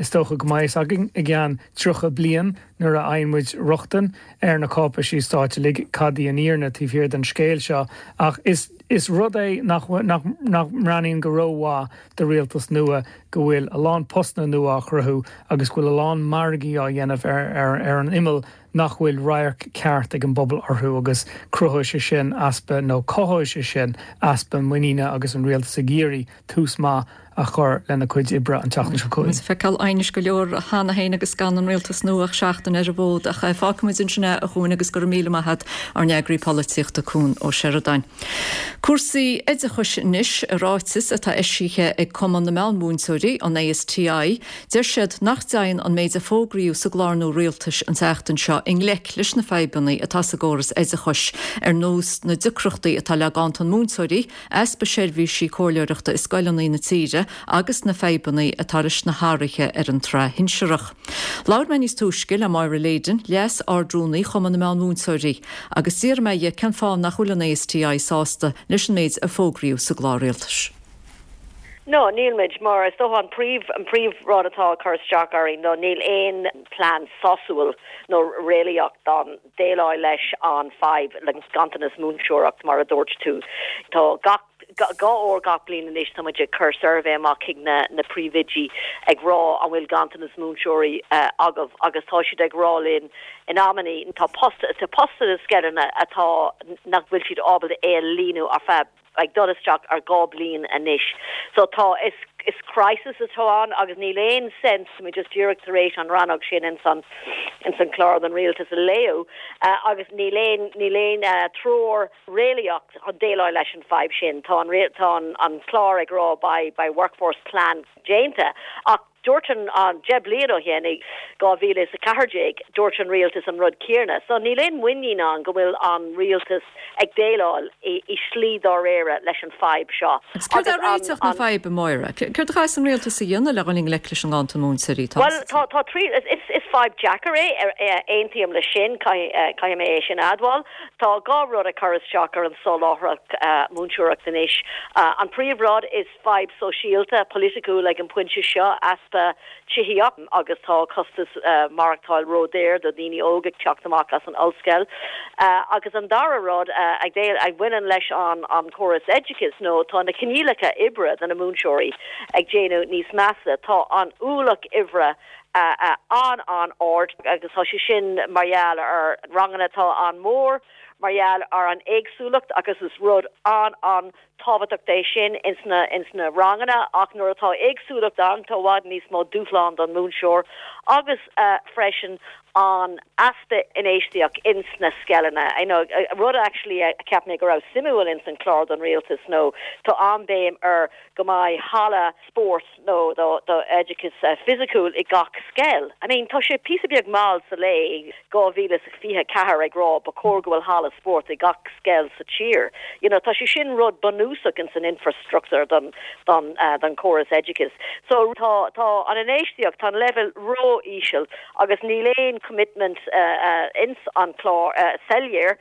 Is dócha go mbeidh fhios againn i gceann 30 bliain nuair a fhaigheann muid rochtain ar na cáipéisí stáit uilig cad í an fhírinne taobh thiar den scéal seo ach is is rud é nach nach nach mbreathnaíonn go rómhaith do rialtas nua go bhfuil a lán postanna nua á chruthú agus go bhfuil a lán margaí á dhéanamh ar ar ar an imeall nach bhfuil radharc ceart ag an bpobal orthu agus cruthóidh sé sin easpa nó cothóidh sé sin easpa muiníne agus an rialtas ag iarraidh tús maith a chur lena cuid oibre an tseachtain seo chugainn. Is feiceáil aighnis go leor cheana féin agus gan an rialtas nua ach seachtain ar an bhfód. Ach fágfaimid ansin é, a Chuain, agus go raibh míle maith agat, ár n-eagraí polaitíochta, Cuan Ó Seireadáin. Cúrsaí oideachais anois, i ráiteas atá eisithe ag Cumann na Meánmhúinteoirí, an ASTI, deir siad nach dtéann an méid a fógraíodh sa gclár nua rialtais an tseachtain seo i ngleic leis na fadhbanna atá sa gcóras oideachais, ar nós na deacrachtaí atá le ganntan múinteoirí, easpa seirbhísí comhairleoireachta i scoileanna na tíre agus na fadhbanna atá leis na hathruithe ar an tsraith shinsearach. Labhair mé níos túisce le Máire Leyden, Leas-Ard-Rúnaí Chumann na Meán-Mhúinteoirí, agus d'fhiafraigh mé dhi cén fáth nach bhfuil an ASTI sásta leis an méid a fógraíodh sa gclár rialtais. No, níl muid, mar is dócha an príomh, an príomh rud atá ag cur isteach orainn ná níl aon plean sásúil nó réalaíoch don déileáil leis an fadhb le ganntanas múinteoireacht mar a dúirt tú. Tá gach dhá uair gach bliain anois tá muid ag cur suirbhé amach chuig na na príomhoidí ag rá an bhfuil ganntanas múinteoirí agaibh agus tá siad ag rá linn. In amannaí tá post, tá post sna scoileanna atá, nach bhfuil siad ábalta é a líonadh ar feadh, ag dul isteach ar 2 bliain anois. So tá, is, is crisis atá ann agus níl aon sense, tá mé just díreach tar éis an rannóg sin ins an, ins an clár don rialtas a léamh agus níl aon, níl aon treoir réalaíoch chun déileáil leis an fadhb sin. Tá an, tá an, an clár ag rá beidh, beidh workforce plan déanta ach Dúirt an, an, 10 bliain ó shin, i 2014, dúirt an rialtas an rud céanna. So níl aon muinín ann go bhfuil an rialtas ag déileáil i, i slí dáiríre leis an fadhb seo. Agus céard é réiteach na faidhbe, Máire? Céard a chaithfeas an rialtas a dhéanamh le dhul i ngleic leis an nganntan múinteoirí atá Bhuel, sa tá, tá trí, is, is fadhb deacair é, aontaím leis sin, caithfidh, caithfidh mé é sin a admháil. Tá dhá rud ag cur isteach ar an soláthracht múinteoireacht anois. An príomhrud is, fadhb sóisialta, polaitiúil ag an bpointe seo, easpa tithíocht agus tá costas maireachtáil ródhaor do dhaoine óga ag teacht amach as an ollscoil. Agus an dara rud a bhaineann leis an chóras oideachais nó tá na coinníollacha oibre do na múinteoirí ag déanamh níos measa. Tá an ualach oibre an-an-ard agus tá sé sin mar gheall ar ranganna atá an-mhór, mar gheall ar an éagsúlacht agus is rud an-an tábhachtach é sin ins na ins na ranganna ach nuair atá éagsúlacht ann tá i bhfad níos mó dúshlán don múinteoir agus freisin an easpa infheistíocht ins na scoileanna. You know, rud actually a cheap mé go raibh suimiúil ins an clár don rialtas nó tá an-béim ar go mbeidh halla spóirt nó do oideachas fisiciúil i gach scoil. I mean, tá sé píosa beag mall sa lae 2024 ag rá ba chóir go bhfuil halla spóirt i gach scoil sa tír. You know, tá sé sin rud bunúsach ins an infrastructure don, don, don chóras oideachais. So tá, tá an infheistíocht, tá an leibhéal ró-íseal agus níl aon commitment ins an chlár, soiléir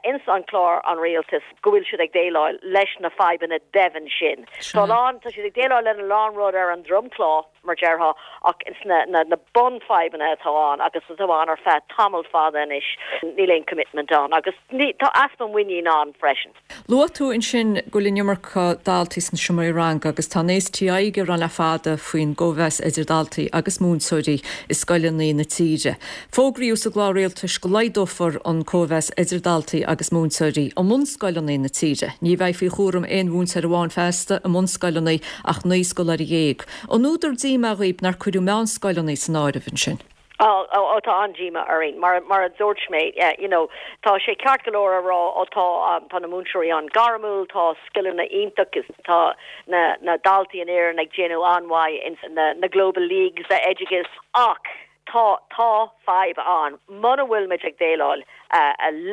ins an chlár an rialtais. go bhfuil siad ag déileáil leis na fadhbanna doimhin sin. Tá a lán, tá siad ag déileáil lena lán rud ar an dromchla, mar déarfá, ach ins na, na, na bunfhadhbanna atá ann agus atá ann ar feadh tamall fada anois, níl aon commitment ann agus ní, tá easpa muinín ann freisin. Luaigh tú ansin go bhfuil an iomarca daltaí sna seomraí ranga agus tá an STI ag gearán le fada faoin gcóimheas idir daltaí agus múinteoirí i scoileanna na tíre. Fógraíodh sa gclár rialtais go laghdófar an cóimheas idir daltaí agus múinteoirí i mbunscoileanna na tíre. Ní bheidh faoi chúram aon mhúinteoir amháin feasta i mbunscoileanna ach 19 scoláire. An údar díomá dhaoib nár cuireadh meánscoileanna san áireamh ansin? Ó, ó, tá an-díomá orainn. Mar, mar a dúirt mé, you know, tá sé ceart go leor a rá, ó tá, tá na múinteoirí an-ghairmiúil, tá scileanna iontach, tá na, na daltaí in Éirinn ag déanamh an-mhaith ins na, na Global Leagues oideachais, ach Tá, tá fadhb ann muna bhfuil muid ag déileáil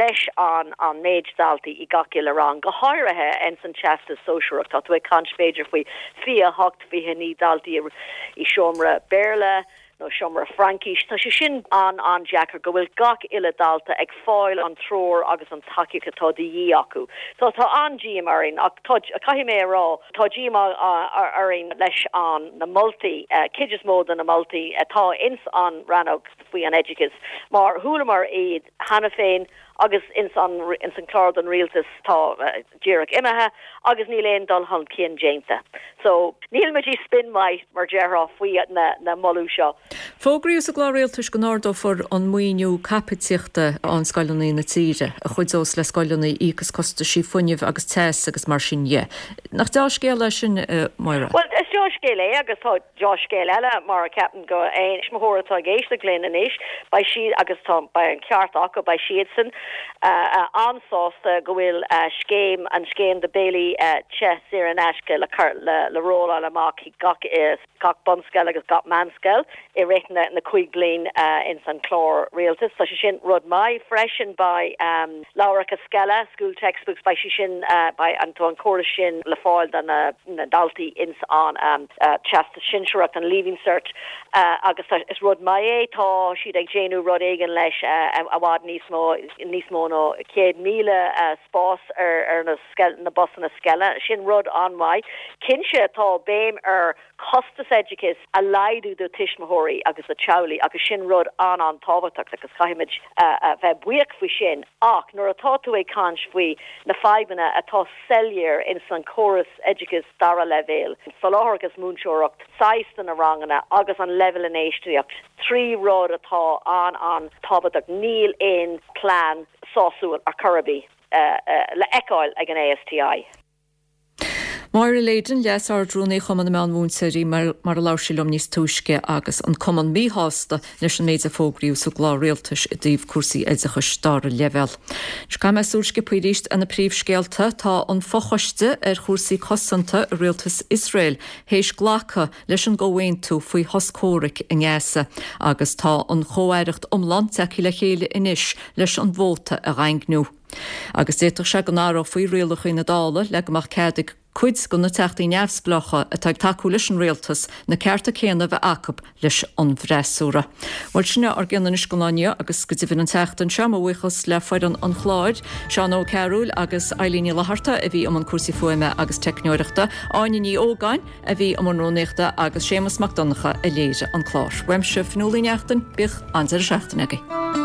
leis an an méid daltaí i gach uile rang, go háirithe ins an Teastas Sóisearach. Tá tú ag caint b'fhéidir faoi 28, 29 daltaí i seomra Béarla nó seomra Fraincís. Tá sé sin an-an-deacair go bhfuil gach uile dalta ag fáil an treoir agus an tacaíocht atá de dhíth acu. So tá an-díomá orainn ach tá, caithfidh mé a rá, Tá díomá orainn leis an na moltaí, cuid is mó de na moltaí atá ins an rannóg faoi an oideachas, mar chualamar iad cheana féin agus ins an ins an clár don rialtas atá díreach imithe agus níl aon dul chun cinn déanta. So níl muid i spin maith mar déarfá faoi na na moladh seo. Fógraíodh sa gclár rialtais go n-ardófar an maoiniú caipitíochta a fhaigheann scoileanna na tíre, a chuideos le scoileanna íoc as costaisí fuinnimh agus teas agus mar sin dhe. Nach deá-scéal é sin, a Mháire? Bhuel, is deá-scéal é agus tá deá-scéal eile mar ceapaim go aon tuismitheoir atá ag éisteacht linn anois, beidh siad, agus tá, beidh an ceart acu, beidh siadsan an-sásta go bhfuil scéim, an scéim do béilí te saor in aisce le cur, le rolláil amach chuig gach gach bunscoil agus gach meánscoil i rith na 5 bliain ins an clár rialtais. Tá sé sin rud maith freisin. Beidh leabhracha scoile, school textbooks, beidh sé sin, beidh an, tá an córas sin le fáil do na daltaí ins an Teastas Sinsearach, an Leaving Cert agus tá, is rud maith é. Tá siad ag déanamh rud éigin leis i bhfad níos mó. níos mó ná 100,000 spás ar na busanna scoile. Sin rud an-mhaith. Cinnte tá béim ar costas oideachais a laghdú do tuismitheoirí agus do teaghlaigh agus sin rud an-an-tábhachtach agus caithfimid a bheith buíoch faoi sin ach nuair atá tú ag caint faoi na fadhbanna atá soiléir ins an córas oideachais dara leibhéal, soláthar agus múinteoireacht, saghas de na ranganna agus an leibhéal infheistíocht, 3 rud atá an-an-tábhachtach, níl aon plean sásúil ar chor ar bith le feiceáil ag an ASTI. Máire Leyden, Leas-Ard-Rúnaí Chumann na Meán-Mhúinteoirí, mar a labhair sí liom níos túisce agus an Cumann míshásta leis an méid a fógraíodh sa gclár rialtais i dtaobh cúrsaí oideachais dara leibhéal. Anois caithfidh mé súil sciobtha arís ar na príomhscéalta. Tá an fochoiste ar chúrsaí cosanta i rialtas Iosrael théis glacadh leis an gcomhaontú faoi shos comhraic i nGaza agus tá an chomh-aireacht iomlán tagtha le chéile anois leis an vóta a dhaingniú. Agus d'fhéadfadh sé go n-athrófaí rialacha na Dála le go mbeadh cead ag cuid de na teachtaí neamhspleácha atá ag tacú leis an rialtas na cearta céanna a bheith acu leis an bhfreasúra. Bhuel, sin é ár gcion anois don lá inniu agus go deimhin an tseachtain seo, mo bhuíochas le foireann an chláir, Seán Ó Cearúil agus Eilín Ní Fhlatharta a bhí i mbun cúrsaí fuaime agus teicneoireachta, Áine Ní Ógáin a bhí i mbun rúnaíochta agus Séamus Mac Donncha a léirigh an clár. Uaimse, Fionnuala Ní Neachtain, bíodh an-deireadh seachtaine agaibh.